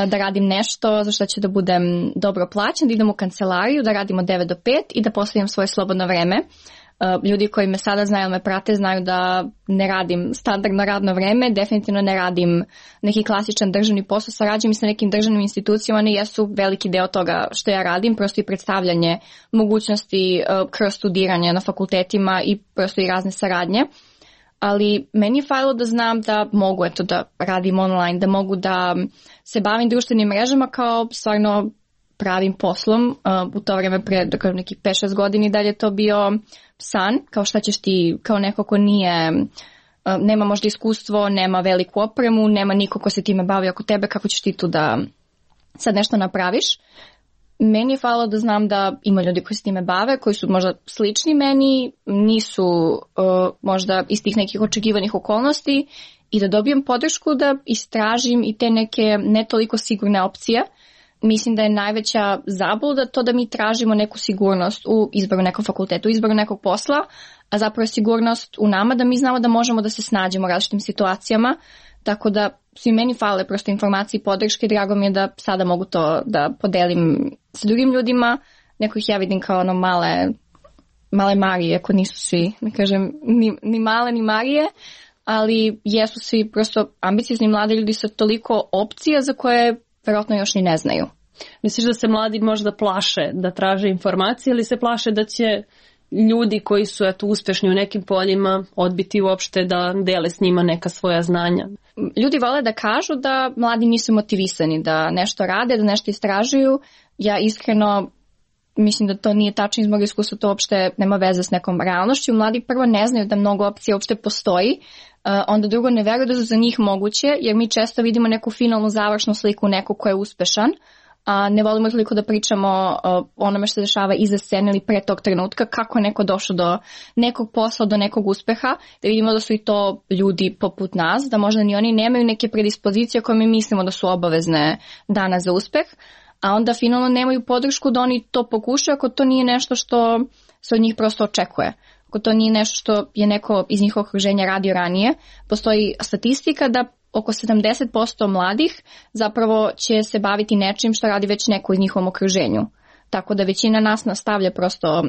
S9: da radim nešto za što ću da budem dobro plaćen, da idem u kancelariju, da radim od 9 do 5 i da postavljam svoje slobodno vreme. Ljudi koji me sada znaju, me prate, znaju da ne radim standardno radno vreme, definitivno ne radim neki klasičan državni posao, sarađujem sa nekim državnim institucijama, one jesu veliki deo toga što ja radim, prosto i predstavljanje mogućnosti kroz studiranje na fakultetima i prosto i razne saradnje. Ali meni je falilo da znam da mogu da radim online, da mogu da se bavim društvenim mrežama kao stvarno pravim poslom. U to vreme pre nekih 5-6 godina da je to bio san, kao šta ćeš ti, kao neko ko nema možda iskustvo, nema veliku opremu, nema niko ko se time bavi oko tebe, kako ćeš ti tu da sad nešto napraviš. Meni je falilo da znam da ima ljudi koji se time bave, koji su možda slični meni, nisu možda iz tih nekih očekivanih okolnosti i da dobijem podršku da istražim i te neke ne toliko sigurne opcije. Mislim da je najveća zabluda to da mi tražimo neku sigurnost u izboru nekog fakulteta, u izboru nekog posla, a zapravo je sigurnost u nama da mi znamo da možemo da se snađemo u različitim situacijama, tako da svi meni fale prosto informacije i podrške. Drago mi je da sada mogu to da podelim sa drugim ljudima. Neko ih ja vidim kao ono male Marije, ako nisu svi, ne kažem, ni male ni Marije, ali jesu svi prosto ambiciozni mladi ljudi sa toliko opcija za koje verovatno još ni ne znaju.
S10: Misliš da se mladi možda plaše da traže informacije ili se plaše da će ljudi koji su uspešni u nekim poljima odbiti uopšte da dele s njima neka svoja znanja?
S9: Ljudi vole da kažu da mladi nisu motivisani, da nešto rade, da nešto istražuju. Ja iskreno mislim da to nije tačno, iz mog iskustva to uopšte nema veze s nekom realnošću. Mladi prvo ne znaju da mnogo opcija uopšte postoji, onda drugo ne veruju da su za njih moguće, jer mi često vidimo neku finalnu završnu sliku nekog ko je uspešan, a ne volimo toliko da pričamo o onome što se dešava iza scene ili pre tog trenutka, kako je neko došao do nekog posla, do nekog uspeha, da vidimo da su i to ljudi poput nas, da možda ni oni nemaju neke predispozicije koje mi mislimo da su obavezne danas za uspeh, a onda finalno nemaju podršku da oni to pokušaju ako to nije nešto što se od njih prosto očekuje. Ako to nije nešto što je neko iz njihovog okruženja radio ranije, postoji statistika da oko 70% mladih zapravo će se baviti nečim što radi već neko iz njihovom okruženju. Tako da većina nas nastavlja prosto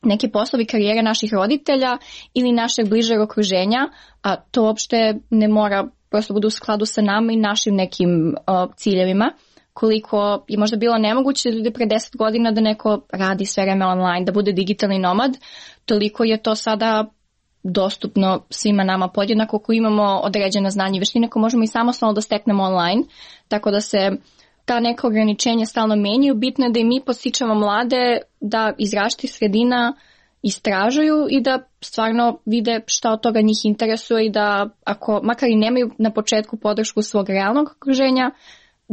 S9: neke poslovi, karijere naših roditelja ili našeg bližeg okruženja, a to uopšte ne mora prosto bude u skladu sa nama i našim nekim ciljevima. Koliko je možda bilo nemoguće da ljudi pre 10 godina da neko radi sve vreme online, da bude digitalni nomad, toliko je to sada dostupno svima nama podjednako ako imamo određena znanja i veštine koje možemo i samostalno da steknemo online, tako da se ta neka ograničenja stalno menjaju. Bitno je da i mi podstičemo mlade da iz različitih sredina istražuju i da stvarno vide šta od toga njih interesuje i da ako makar i nemaju na početku podršku svog realnog okruženja,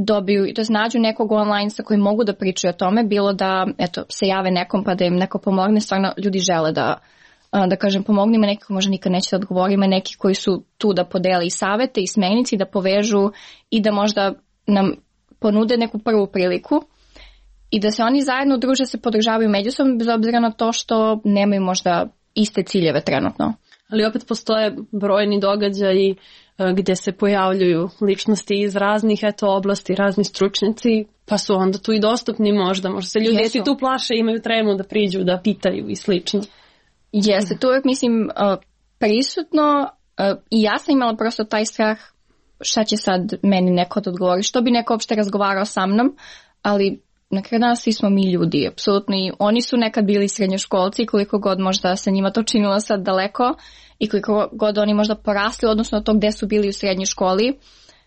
S9: dobiju i to nađu nekog online sa kojim mogu da pričaju o tome, bilo da se jave nekom pa da im neko pomogne. Stvarno ljudi žele da kažem pomogne, ima neki koji možda nikad neće da odgovori, ima neki koji su tu da podele i savete i smernice i da povežu i da možda nam ponude neku prvu priliku i da se oni zajedno druže, se podržavaju međusobno bez obzira na to što nemaju možda iste ciljeve trenutno.
S10: Ali opet postoje brojni događaji gdje se pojavljuju ličnosti iz raznih oblasti, razni stručnjaci, pa su onda tu i dostupni možda se ljudi si tu plaše, imaju tremu da priđu, da pitaju i slično.
S9: Jeste, to uvijek mislim prisutno i ja sam imala prosto taj strah šta će sad meni neko da odgovori, što bi neko uopšte razgovarao sa mnom, ali na kraju dana svi smo mi ljudi, apsolutno, i oni su nekad bili srednjoškolci, koliko god možda se njima to činilo sad daleko i koliko god oni možda porasli odnosno od tog gde su bili u srednjoj školi.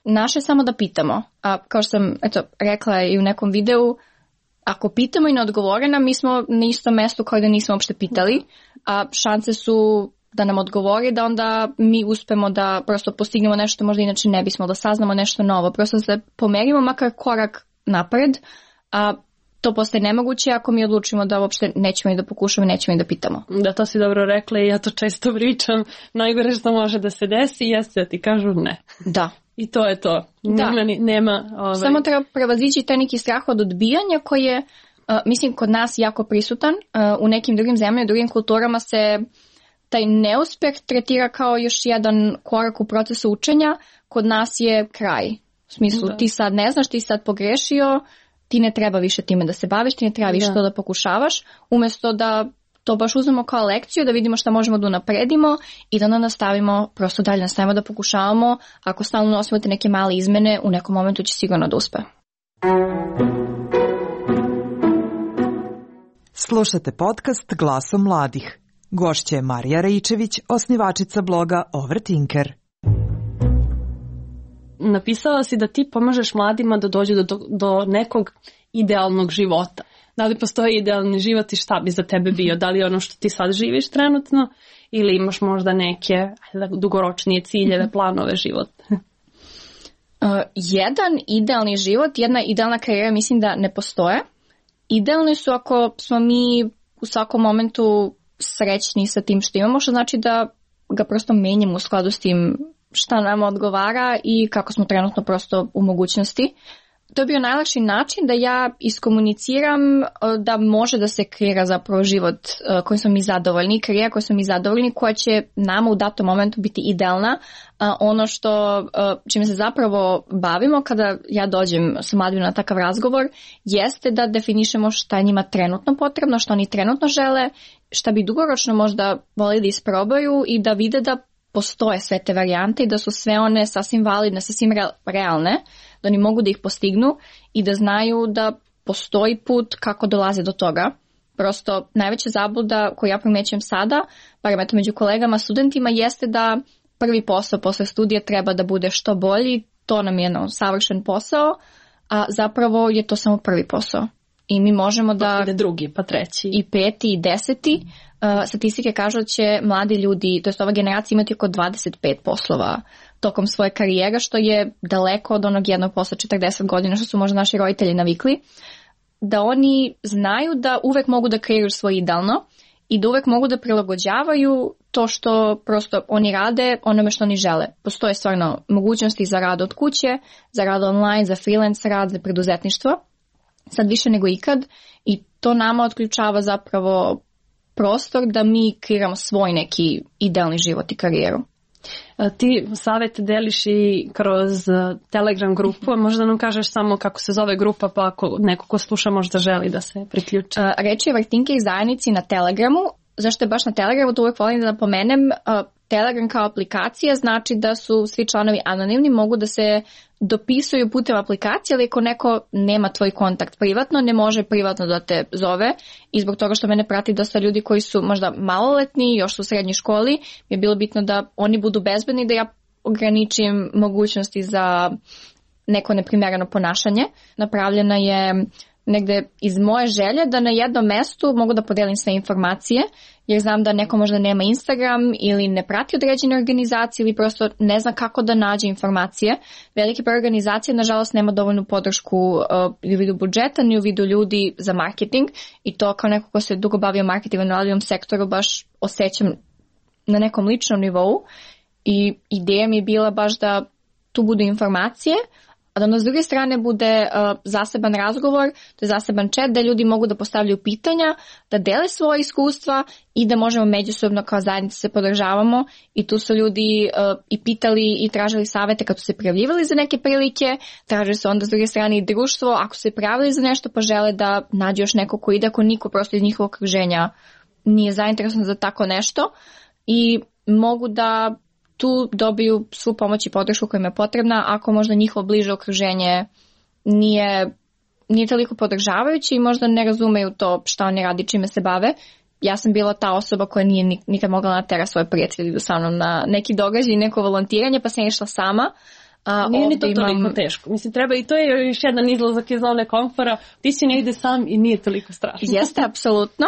S9: Naše je samo da pitamo, a kao što sam rekla i u nekom videu, ako pitamo i ne odgovore nam, mi smo na istom mestu kao da nismo uopšte pitali, a šanse su da nam odgovori, da onda mi uspemo da prosto postignemo nešto možda inače ne bismo, da saznamo nešto novo, prosto da se pomerimo makar korak napred, a to postaje nemoguće ako mi odlučimo da uopšte nećemo i da pokušamo i nećemo i da pitamo.
S10: Da, to si dobro rekla i ja to često pričam. Najgore što može da se desi jeste da ti kažu ne.
S9: Da.
S10: I to je to.
S9: Da.
S10: Nema
S9: Samo treba prevazići taj neki strah od odbijanja koji je, mislim, kod nas jako prisutan. U nekim drugim zemljama, drugim kulturama se taj neuspeh tretira kao još jedan korak u procesu učenja. Kod nas je kraj. U smislu, ti sad ne znaš, ti sad pogrešio, ti ne treba više time da se baviš, ti ne treba više to da pokušavaš, umjesto da to baš uzmemo kao lekciju, da vidimo šta možemo da unapredimo i da onda nastavimo, prosto dalje nastavimo da pokušavamo. Ako stalno nosimo te neke male izmene, u nekom momentu će sigurno da uspe.
S11: Slušate podcast Glasom mladih. Gošća je Marija Raičević, osnivačica bloga Overthinker.
S10: Napisala si da ti pomažeš mladima da dođu do nekog idealnog života. Da li postoji idealni život i šta bi za tebe bio? Da li je ono što ti sad živiš trenutno ili imaš možda neke dugoročnije ciljeve, planove života?
S9: Jedan idealni život, jedna idealna karijera mislim da ne postoje. Idealni su ako smo mi u svakom momentu srećni sa tim što imamo, što znači da ga prosto menjamo u skladu s tim šta nam odgovara i kako smo trenutno prosto u mogućnosti. To je bio najlakši način da ja iskomuniciram da može da se kreira zapravo život kojim smo mi zadovoljni, karijera kojim smo mi zadovoljni, koja će nama u datom momentu biti idealna. Ono što čime se zapravo bavimo kada ja dođem sa mladima na takav razgovor jeste da definišemo šta je njima trenutno potrebno, šta oni trenutno žele, šta bi dugoročno možda volili da isprobaju i da vide da postoje sve te varijante i da su sve one sasvim validne, sasvim realne, da oni mogu da ih postignu i da znaju da postoji put kako dolaze do toga. Prosto najveća zabluda koju ja primećujem sada, barem eto među kolegama, studentima, jeste da prvi posao posle studija treba da bude što bolji, to nam je savršen posao, a zapravo je to samo prvi posao. I mi možemo da...
S10: Pa drugi, pa treći.
S9: I peti, i deseti. Statistike kažu da će mladi ljudi, to jest ova generacija, imati oko 25 poslova tokom svoje karijere, što je daleko od onog jednog posla 40 godina, što su možda naši roditelji navikli. Da oni znaju da uvek mogu da kreiraju svoje idealno i da uvek mogu da prilagođavaju to što prosto oni rade onome što oni žele. Postoje stvarno mogućnosti za rad od kuće, za rad online, za freelance rad, za preduzetništvo. Sad više nego ikad i to nama otključava zapravo prostor da mi kreiramo svoj neki idealni život i karijeru.
S10: Ti savjet deliš i kroz Telegram grupu, možda nam kažeš samo kako se zove grupa, pa ako neko ko sluša možda želi da se priključi.
S9: Reč je o Overthinker zajednici na Telegramu. Zašto je baš na Telegramu, to uvijek volim da napomenem. Telegram kao aplikacija znači da su svi članovi anonimni, mogu da se dopisuju putem aplikacije, ali ako neko nema tvoj kontakt privatno, ne može privatno da te zove i zbog toga što mene prati dosta ljudi koji su možda maloletni, još su u srednjoj školi, mi je bilo bitno da oni budu bezbedni, da ja ograničim mogućnosti za neko neprimereno ponašanje. Napravljena je negde iz moje želje da na jednom mestu mogu da podelim sve informacije, jer znam da neko možda nema Instagram ili ne prati određene organizacije ili prosto ne zna kako da nađe informacije. Veliki broj organizacije nažalost nema dovoljnu podršku u vidu budžeta ni u vidu ljudi za marketing i to kao neko ko se dugo bavio marketingom na radiovom sektoru baš osjećam na nekom ličnom nivou i ideja mi je bila baš da tu budu informacije, a da onda s druge strane bude zaseban razgovor, to je zaseban chat da ljudi mogu da postavljaju pitanja, da dele svoje iskustva i da možemo međusobno kao zajednica se podržavamo i tu su ljudi i pitali i tražili savete kad su se prijavljivali za neke prilike, tražili su onda s druge strane i društvo, ako su se prijavili za nešto pa žele da nađu još neko ko ide, ako niko prosto iz njihovog okruženja nije zainteresovan za tako nešto i mogu da tu dobiju svu pomoć i podršku koja im je potrebna ako možda njihovo bliže okruženje nije toliko podržavajuće i možda ne razumeju to šta oni radi, čime se bave. Ja sam bila ta osoba koja nije nikad mogla natera svoje prijatelje idu sa mnom na neki događaj, neko volontiranje, pa sam išla sama.
S10: Nije ni to toliko teško. Mislim, treba i to je još jedan izlazak iz zone komfora. Ti si negde sam i nije toliko strašno.
S9: Jeste, apsolutno.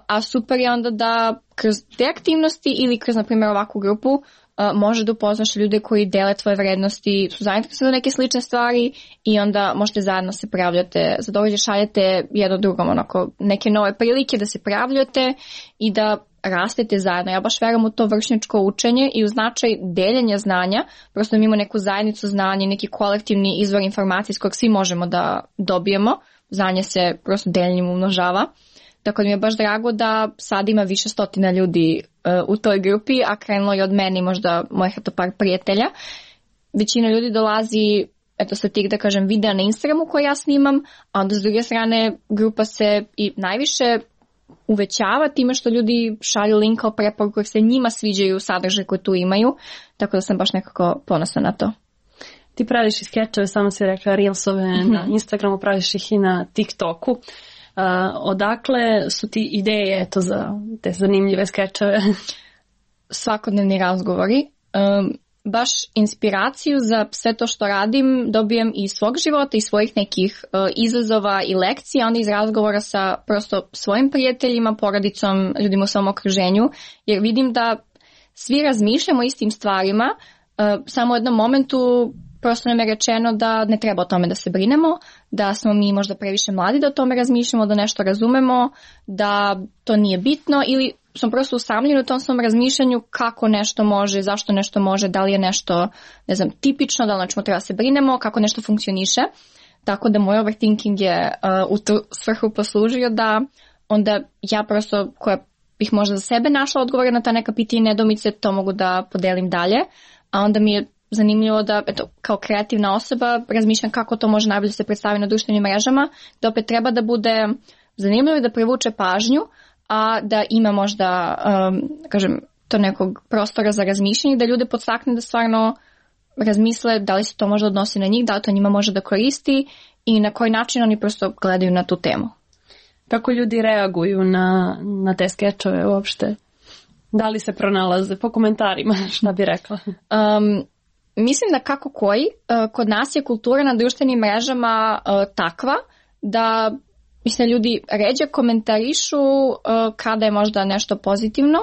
S9: A super je onda da kroz te aktivnosti ili kroz, na primjer, ovakvu grupu može da upoznaš ljude koji dele tvoje vrednosti, su zainteresovani za neke slične stvari i onda možete zajedno se prijavljate, za događaj šaljete jedno drugom onako neke nove prilike da se prijavljate i da rastete zajedno. Ja baš verujem u to vršnjačko učenje i u značaj deljenja znanja, prosto imamo neku zajednicu znanja, neki kolektivni izvor informacije s kojeg svi možemo da dobijemo, znanje se prosto deljenjem umnožava. Tako da mi je baš drago da sad ima više stotina ljudi u toj grupi, a krenulo je od meni možda mojih par prijatelja. Većina ljudi dolazi sa tih, da kažem, videa na Instagramu koje ja snimam, a onda s druge strane grupa se i najviše uvećava time što ljudi šalju link kao preporuku jer se njima sviđaju sadržaje koje tu imaju, tako da sam baš nekako ponosna na to.
S10: Ti praviš i skečeve, samo si rekla reelsove na Instagramu, praviš ih i na TikToku. Odakle su ti ideje za te zanimljive skečeve?
S9: Svakodnevni razgovori. Baš inspiraciju za sve to što radim dobijem iz svog života i svojih nekih izazova i lekcija, onda iz razgovora sa prosto svojim prijateljima, porodicom, ljudima u svom okruženju, jer vidim da svi razmišljamo o istim stvarima, samo u jednom momentu prosto nam je rečeno da ne treba o tome da se brinemo, da smo mi možda previše mladi da o tome razmišljamo, da nešto razumemo, da to nije bitno ili smo prosto usamljeni u tom svom razmišljanju kako nešto može, zašto nešto može, da li je nešto, ne znam, tipično, da li načemo treba se brinemo, kako nešto funkcioniše. Tako da moj overthinking je u tu svrhu poslužio da onda ja prosto koja bih možda za sebe našla odgovore na ta neka pitanja i nedoumice, to mogu da podelim dalje, a onda mi je zanimljivo da, kao kreativna osoba razmišljam kako to može najbolje se predstavi na društvenim mrežama, da opet treba da bude zanimljivo i da privuče pažnju, a da ima možda, kažem, to nekog prostora za razmišljanje, da ljude podstakne da stvarno razmisle da li se to možda odnosi na njih, da li to njima može da koristi i na koji način oni prosto gledaju na tu temu.
S10: Kako ljudi reaguju na te skečove uopšte? Da li se pronalaze po komentarima, šta bi rekla?
S9: Mislim da kako koji. Kod nas je kultura na društvenim mrežama takva da mislim ljudi ređe komentarišu kada je možda nešto pozitivno,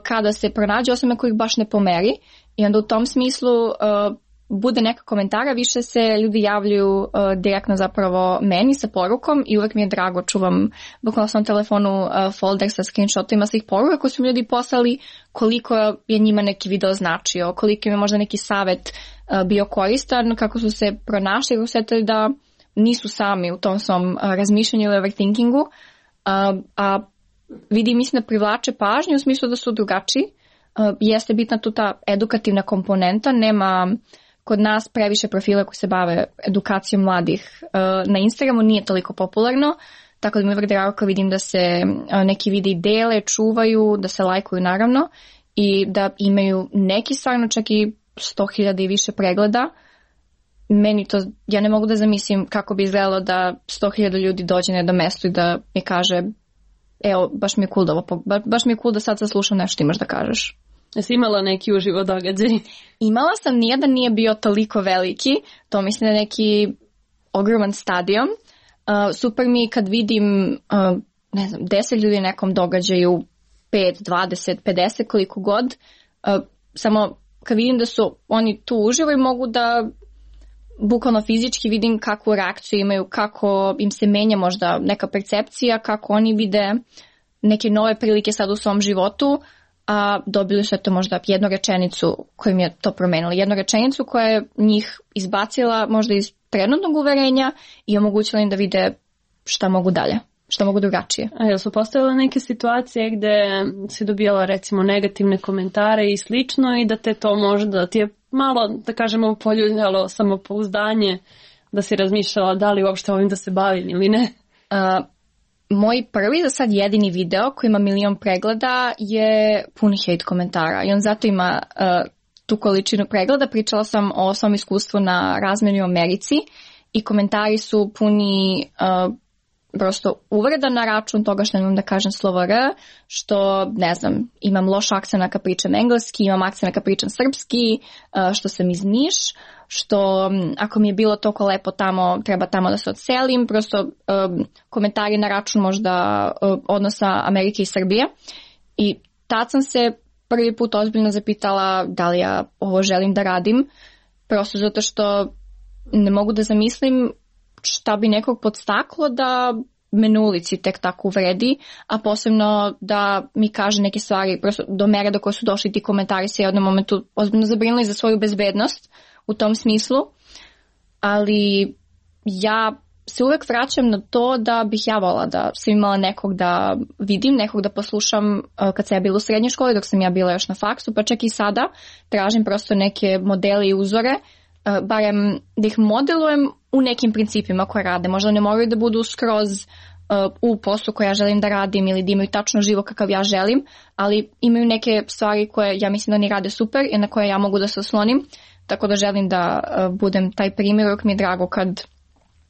S9: kada se pronađe osobe kojih baš ne pomeri i onda u tom smislu bude neka komentara, više se ljudi javljaju direktno zapravo meni sa porukom i uvek mi je drago, čuvam bukvalno sam na telefonu folder sa screenshotima svih poruka koje su mi ljudi poslali, koliko je njima neki video značio, koliko im je možda neki savet bio koristan, kako su se pronašli, kako su setili da nisu sami u tom svom razmišljanju ili overthinkingu, a vidi mislim da privlače pažnju u smislu da su drugačiji. Jeste bitna tu ta edukativna komponenta, nema kod nas previše profila koji se bave edukacijom mladih na Instagramu, nije toliko popularno, tako da mi je uvijek drago kad vidim da se neki videi dele, čuvaju, da se lajkuju naravno i da imaju neki stvarno čak i 100.000 i više pregleda. Meni to, ja ne mogu da zamislim kako bi izgledalo da 100.000 ljudi dođe na jedno mesto i da mi kaže evo, baš mi je cool da ovo, baš mi je cool da sad slušam nešto imaš da kažeš.
S10: Jesi imala neki uživo događaj?
S9: Imala sam, nijedan nije bio toliko veliki, to mislim da je neki ogroman stadion. Super mi kad vidim, ne znam, 10 ljudi na nekom događaju, 5, 20, 50, koliko god, samo kad vidim da su oni tu uživo i mogu da bukvalno fizički vidim kakvu reakciju imaju, kako im se menja možda neka percepcija, kako oni vide neke nove prilike sad u svom životu. a dobili su to možda jednu rečenicu kojim je to promenilo. Jednu rečenicu koja je njih izbacila možda iz trenutnog uverenja i omogućila im da vide šta mogu dalje, šta mogu drugačije.
S10: A jel su postojale neke situacije gde si dobijala recimo negativne komentare i slično i da te to možda ti je malo, da kažemo, poljuljalo samopouzdanje, da si razmišljala da li uopšte ovim da se bavim ili ne?
S9: Moj prvi, za sad jedini video koji ima 1 milion pregleda je puni hate komentara i on zato ima tu količinu pregleda. Pričala sam o svom iskustvu na razmjeni u Americi i komentari su puni prosto uvreda na račun toga što nemam da kažem slovo R, što, ne znam, imam loš akcent kad pričam engleski, imam akcent kad pričam srpski, što sam iz Niš, što ako mi je bilo toliko lepo tamo, treba tamo da se odselim, prosto komentari na račun možda odnosa Amerike i Srbije. I tad sam se prvi put ozbiljno zapitala da li ja ovo želim da radim, prosto zato što ne mogu da zamislim šta bi nekog podstaklo da me na ulici tek tako uvredi, a posebno da mi kaže neke stvari, prosto do mere do koje su došli ti komentari se u jednom momentu ozbiljno zabrinuli za svoju bezbednost u tom smislu, ali ja se uvek vraćam na to da bih ja volila da sam imala nekog da vidim, nekog da poslušam kad sam ja bila u srednjoj školi, dok sam ja bila još na faksu, pa čak i sada tražim prosto neke modele i uzore, barem da ih modelujem u nekim principima koje rade. Možda ne moraju da budu skroz u poslu koje ja želim da radim ili da imaju tačno život kakav ja želim, ali imaju neke stvari koje ja mislim da oni rade super i na koje ja mogu da se oslonim, tako da želim da budem taj primjer. Uvijek mi je drago kad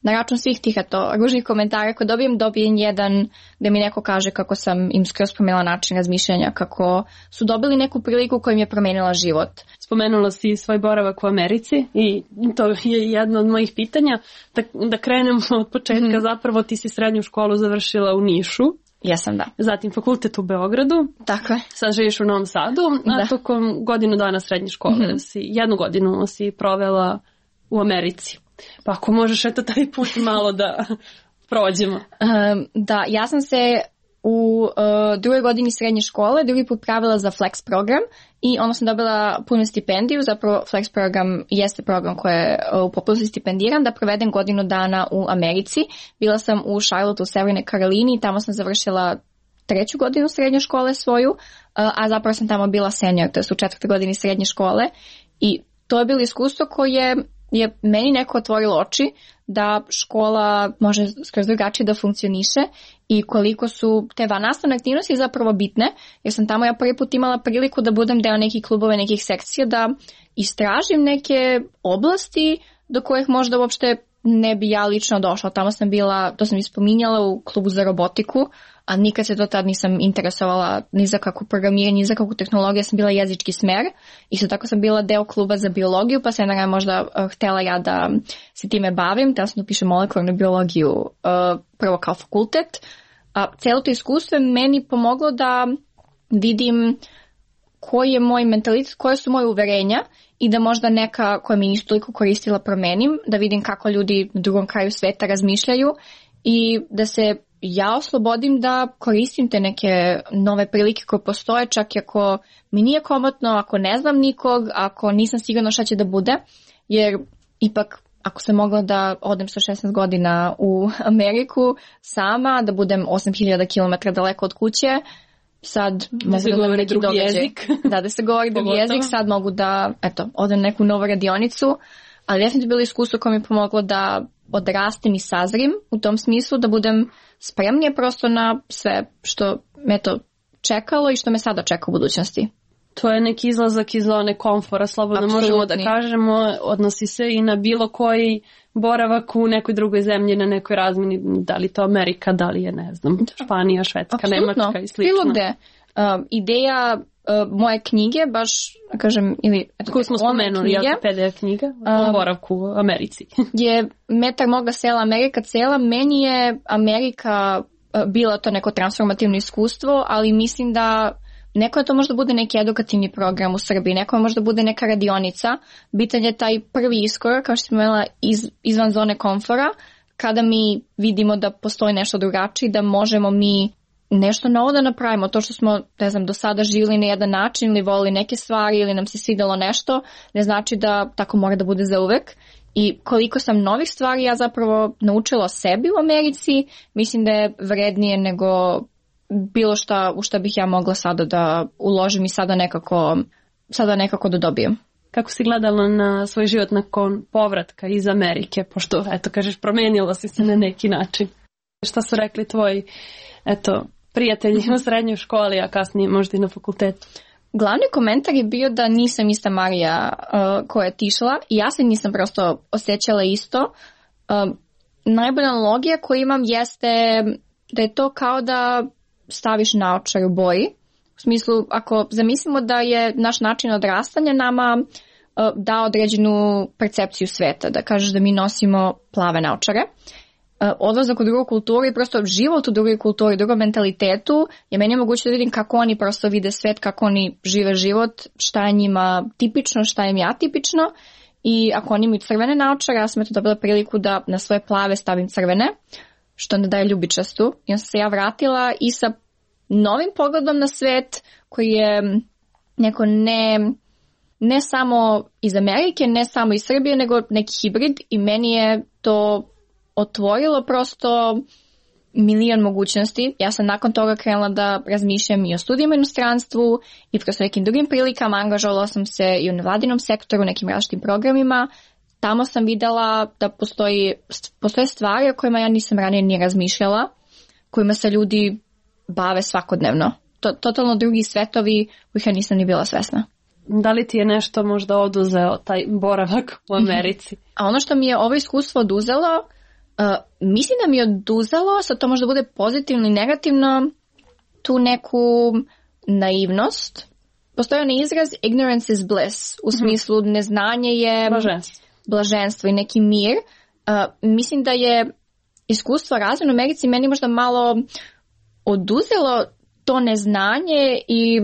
S9: na račun svih tih ružnih komentara koje dobijem jedan gde mi neko kaže kako sam im skroz promenila način razmišljanja, kako su dobili neku priliku koja im je promenila život.
S10: Spomenula si svoj boravak u Americi i to je jedno od mojih pitanja. Da krenemo od početka, zapravo ti si srednju školu završila u Nišu.
S9: Jesam, da.
S10: Zatim fakultet u Beogradu.
S9: Tako je.
S10: Sad živiš u Novom Sadu, a tokom godinu dana srednje škole, jednu godinu si provela u Americi. Pa ako možeš taj put malo da prođemo.
S9: Da, ja sam se u drugoj godini srednje škole drugi put pravila za Flex program i onda sam dobila punu stipendiju. Zapravo Flex program jeste program koji je u potpunosti stipendiran da provedem godinu dana u Americi. Bila sam u Charlotte u Severnoj Karolini i tamo sam završila 3. godinu srednje škole svoju, a zapravo sam tamo bila senior, to je u 4. godini srednje škole i to je bilo iskustvo koje je meni neko otvorilo oči da škola može skroz drugačije da funkcioniše i koliko su te vannastavne aktivnosti zapravo bitne, jer sam tamo ja prvi put imala priliku da budem deo nekih klubova, nekih sekcija, da istražim neke oblasti do kojih možda uopšte ne bi ja lično došla. Tamo sam bila, to sam ispominjala, u klubu za robotiku, a nikad se do tad nisam interesovala ni za kakvu programiranje, ni za kakvu tehnologiju, sam bila jezički smer. Isto tako sam bila deo kluba za biologiju, pa sam možda htjela ja da se time bavim, htjela sam da pišem molekularnu biologiju prvo kao fakultet. A celo to iskustvo je meni pomoglo da vidim koji je moj mentalitet, koje su moje uverenja i da možda neka koja mi nisu toliko koristila promenim, da vidim kako ljudi na drugom kraju sveta razmišljaju i da se ja oslobodim da koristim te neke nove prilike koje postoje, čak i ako mi nije komotno, ako ne znam nikog, ako nisam sigurna šta će da bude, jer ipak ako sam mogla da odem sa 16 godina u Ameriku sama, da budem 8000 km daleko od kuće, sad mogu da govori drugi jezik. Da se govori drugi jezik, sad mogu da odem neku novu radionicu, ali definitivno bilo iskustvo koje mi je pomoglo da odrastem i sazrim u tom smislu, da budem spremnija prosto na sve što me to čekalo i što me sada čeka u budućnosti.
S10: To je neki izlazak iz zone komfora, slobodno možemo da kažemo, odnosi se i na bilo koji boravak u nekoj drugoj zemlji, na nekoj razmini, da li to Amerika, da li je, ne znam, Španija, Švedska, Nemačka i slično.
S9: Bilo gde. Ideja moje knjige, baš, kažem, ili
S10: koju smo spomenuli, PDF knjiga o boravku u Americi.
S9: Je Metar moga sela, Amerika cela. Meni je Amerika bila to neko transformativno iskustvo, ali mislim da neko je to možda bude neki edukativni program u Srbiji, neko je možda bude neka radionica. Bitan je taj prvi iskorak, kao što sam imala, izvan zone komfora, kada mi vidimo da postoji nešto drugačije, da možemo mi nešto novo da napravimo. To što smo, ne znam, do sada živjeli na jedan način ili volili neke stvari ili nam se svidjelo nešto, ne znači da tako mora da bude za uvek. I koliko sam novih stvari ja zapravo naučila o sebi u Americi, mislim da je vrednije nego bilo šta u šta bih ja mogla sada da uložim i sada nekako da dobijem.
S10: Kako si gledala na svoj život nakon povratka iz Amerike, pošto, eto, kažeš, promenila si se na neki način? Šta su rekli tvoji, eto, prijatelji u srednjoj školi, a kasnije možda i na fakultetu?
S9: Glavni komentar je bio da nisam ista Marija koja je otišla i ja se nisam prosto osjećala isto. Najbolja analogija koju imam jeste da je to kao da staviš naočar u boji. U smislu, ako zamislimo da je naš način odrastanja nama dao određenu percepciju sveta, da kažeš da mi nosimo plave naočare. Odlazak u drugu kulturu i prosto život u drugoj kulturi, u drugom mentalitetu je meni moguće da vidim kako oni prosto vide svet, kako oni žive život, šta je njima tipično, šta je mi atipično. I ako oni imaju crvene naočare, ja sam eto dobila priliku da na svoje plave stavim crvene, što ne daje ljubičastu. I onda sam se ja vratila i sa novim pogledom na svet koji je neko ne samo iz Amerike, ne samo iz Srbije, nego neki hibrid i meni je to otvorilo prosto milion mogućnosti. Ja sam nakon toga krenula da razmišljam i o studijama u inostranstvu i prosto nekim drugim prilikama. Angažovala sam se i u nevladinom sektoru, u nekim različitim programima. Tamo sam videla da postoje stvari o kojima ja nisam ranije ni razmišljala, kojima se ljudi bave svakodnevno. Totalno drugi svetovi kojih ja nisam ni bila svesna.
S10: Da li ti je nešto možda oduzeo taj boravak u Americi?
S9: A ono što mi je ovo iskustvo oduzelo, mislim da mi je oduzelo, sad to možda bude pozitivno i negativno, tu neku naivnost. Postoji onaj izraz ignorance is bliss, u smislu neznanje je blaženstvo i neki mir. Mislim da je iskustvo razvoja u Americi meni možda malo oduzelo to neznanje i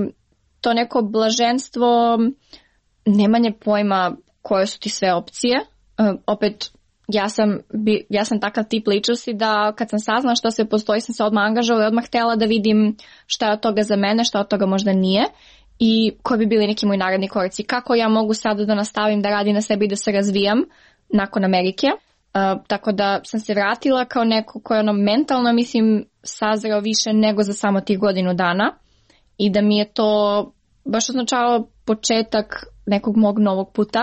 S9: to neko blaženstvo, nemanje pojma koje su ti sve opcije. Opet, ja sam takav tip ličnosti da kad sam saznala što se postoji, sam se odmah angažovala i odmah htjela da vidim šta je od toga za mene, šta od toga možda nije i koji bi bili neki moji naredni koraci. Kako ja mogu sada da nastavim da radim na sebi i da se razvijam nakon Amerike. Tako da sam se vratila kao neko koji je mentalno, mislim, sazreo više nego za samo tih godinu dana i da mi je to baš označavalo početak nekog mog novog puta.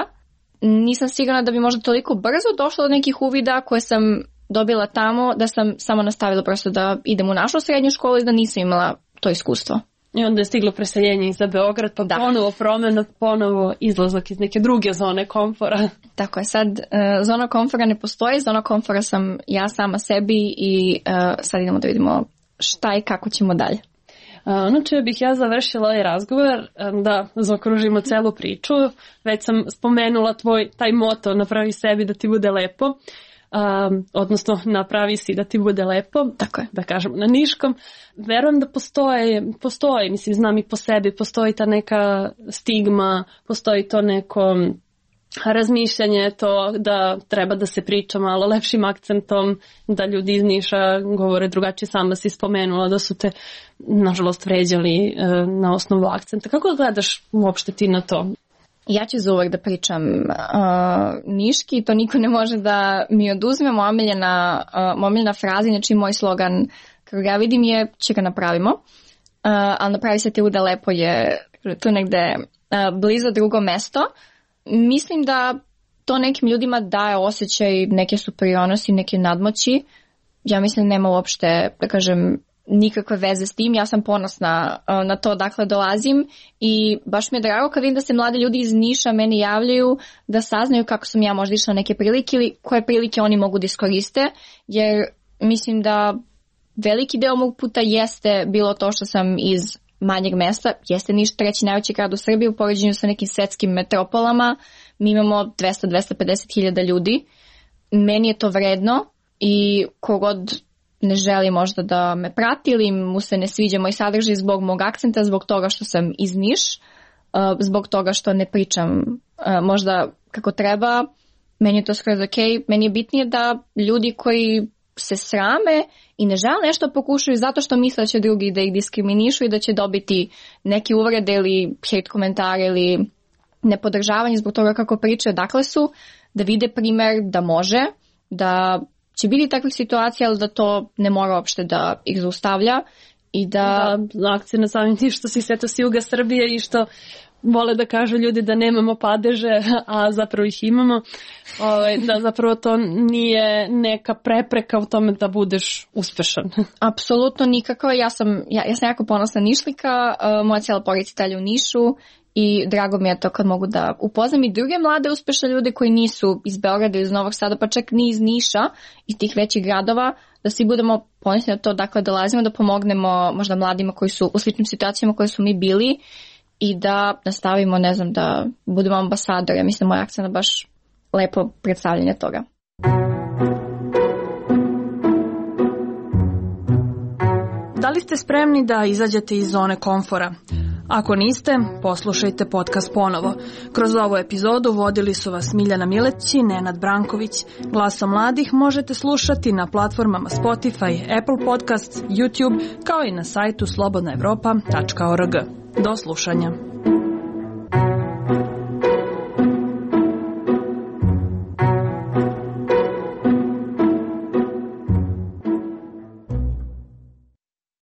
S9: Nisam sigurna da bi možda toliko brzo došla do nekih uvida koje sam dobila tamo, da sam samo nastavila prosto da idem u našu srednju školu i da nisam imala to iskustvo.
S10: I onda je stiglo preseljenje za Beograd, pa ponovo promjena, ponovo izlazak iz neke druge zone komfora.
S9: Tako je, sad zona komfora ne postoji, zona komfora sam ja sama sebi i sad idemo da vidimo šta i kako ćemo dalje.
S10: Ono čime bih ja završila ovaj razgovor, da zaokružimo celu priču, već sam spomenula taj moto napravi sebi da ti bude lepo, odnosno napravi si da ti bude lepo,
S9: tako je,
S10: da kažemo na niškom. Verujem da postoji, mislim, znam i po sebi, postoji ta neka stigma, postoji to neko razmišljanje, to da treba da se priča malo lepšim akcentom, da ljudi iz Niša govore drugačije. Sama si spomenula da su te nažalost vređali na osnovu akcenta. Kako gledaš uopšte ti na to?
S9: Ja ću za uvek da pričam niški, to niko ne može da mi oduzme. Moja omiljena fraza, znači moj slogan kako ga vidim je će ga napravimo, ali napravi se ti bude lepo je tu negde blizu drugo mesto. Mislim da to nekim ljudima daje osjećaj neke superiornosti, neke nadmoći. Ja mislim da nema uopšte, da kažem, nikakve veze s tim. Ja sam ponosna na to dakle dolazim i baš mi je drago kad vidim da se mladi ljudi iz Niša meni javljaju da saznaju kako sam ja možda išla neke prilike ili koje prilike oni mogu da iskoriste, jer mislim da veliki deo mog puta jeste bilo to što sam iz manjeg mesta, jeste Niš treći najveći grad u Srbiji u poređenju sa nekim svetskim metropolama, mi imamo 200-250 hiljada ljudi, meni je to vredno i kogod ne želi možda da me prati ili mu se ne sviđa moj sadržaj zbog mog akcenta, zbog toga što sam iz Niš, zbog toga što ne pričam možda kako treba, meni je to skroz ok. Meni je bitnije da ljudi koji se srame i ne žele nešto pokušaju zato što misle da će drugi da ih diskriminišu i da će dobiti neke uvrede ili hate komentare ili nepodržavanje zbog toga kako pričaju. Dakle su da vide primer da može, da će biti takvih situacija, ali da to ne mora uopšte da ih zaustavlja i da
S10: akcije na samim tim što si sveto s juga Srbije i što vole da kažu ljudi da nemamo padeže, a zapravo ih imamo, da zapravo to nije neka prepreka u tome da budeš uspešan.
S9: Apsolutno nikako. Ja sam jako ponosna Nišlika, moja cijela porodica dalje u Nišu i drago mi je to kad mogu da upoznam i druge mlade uspešne ljude koji nisu iz Beograda, iz Novog Sada, pa čak ni iz Niša, iz tih većih gradova, da svi budemo ponosni na to, dakle dolazimo da pomognemo možda mladima koji su u sličnim situacijama koje su mi bili i da nastavimo, ne znam, da budemo ambasadori. Ja mislim, moja akcija je baš lepo predstavljanje toga.
S5: Da li ste spremni da izađete iz zone komfora? Ako niste, poslušajte podcast ponovo. Kroz ovu epizodu vodili su vas Miljana Mileć i Nenad Branković. Glasom mladih možete slušati na platformama Spotify, Apple Podcasts, YouTube, kao i na sajtu slobodnaevropa.org. Do slušanja.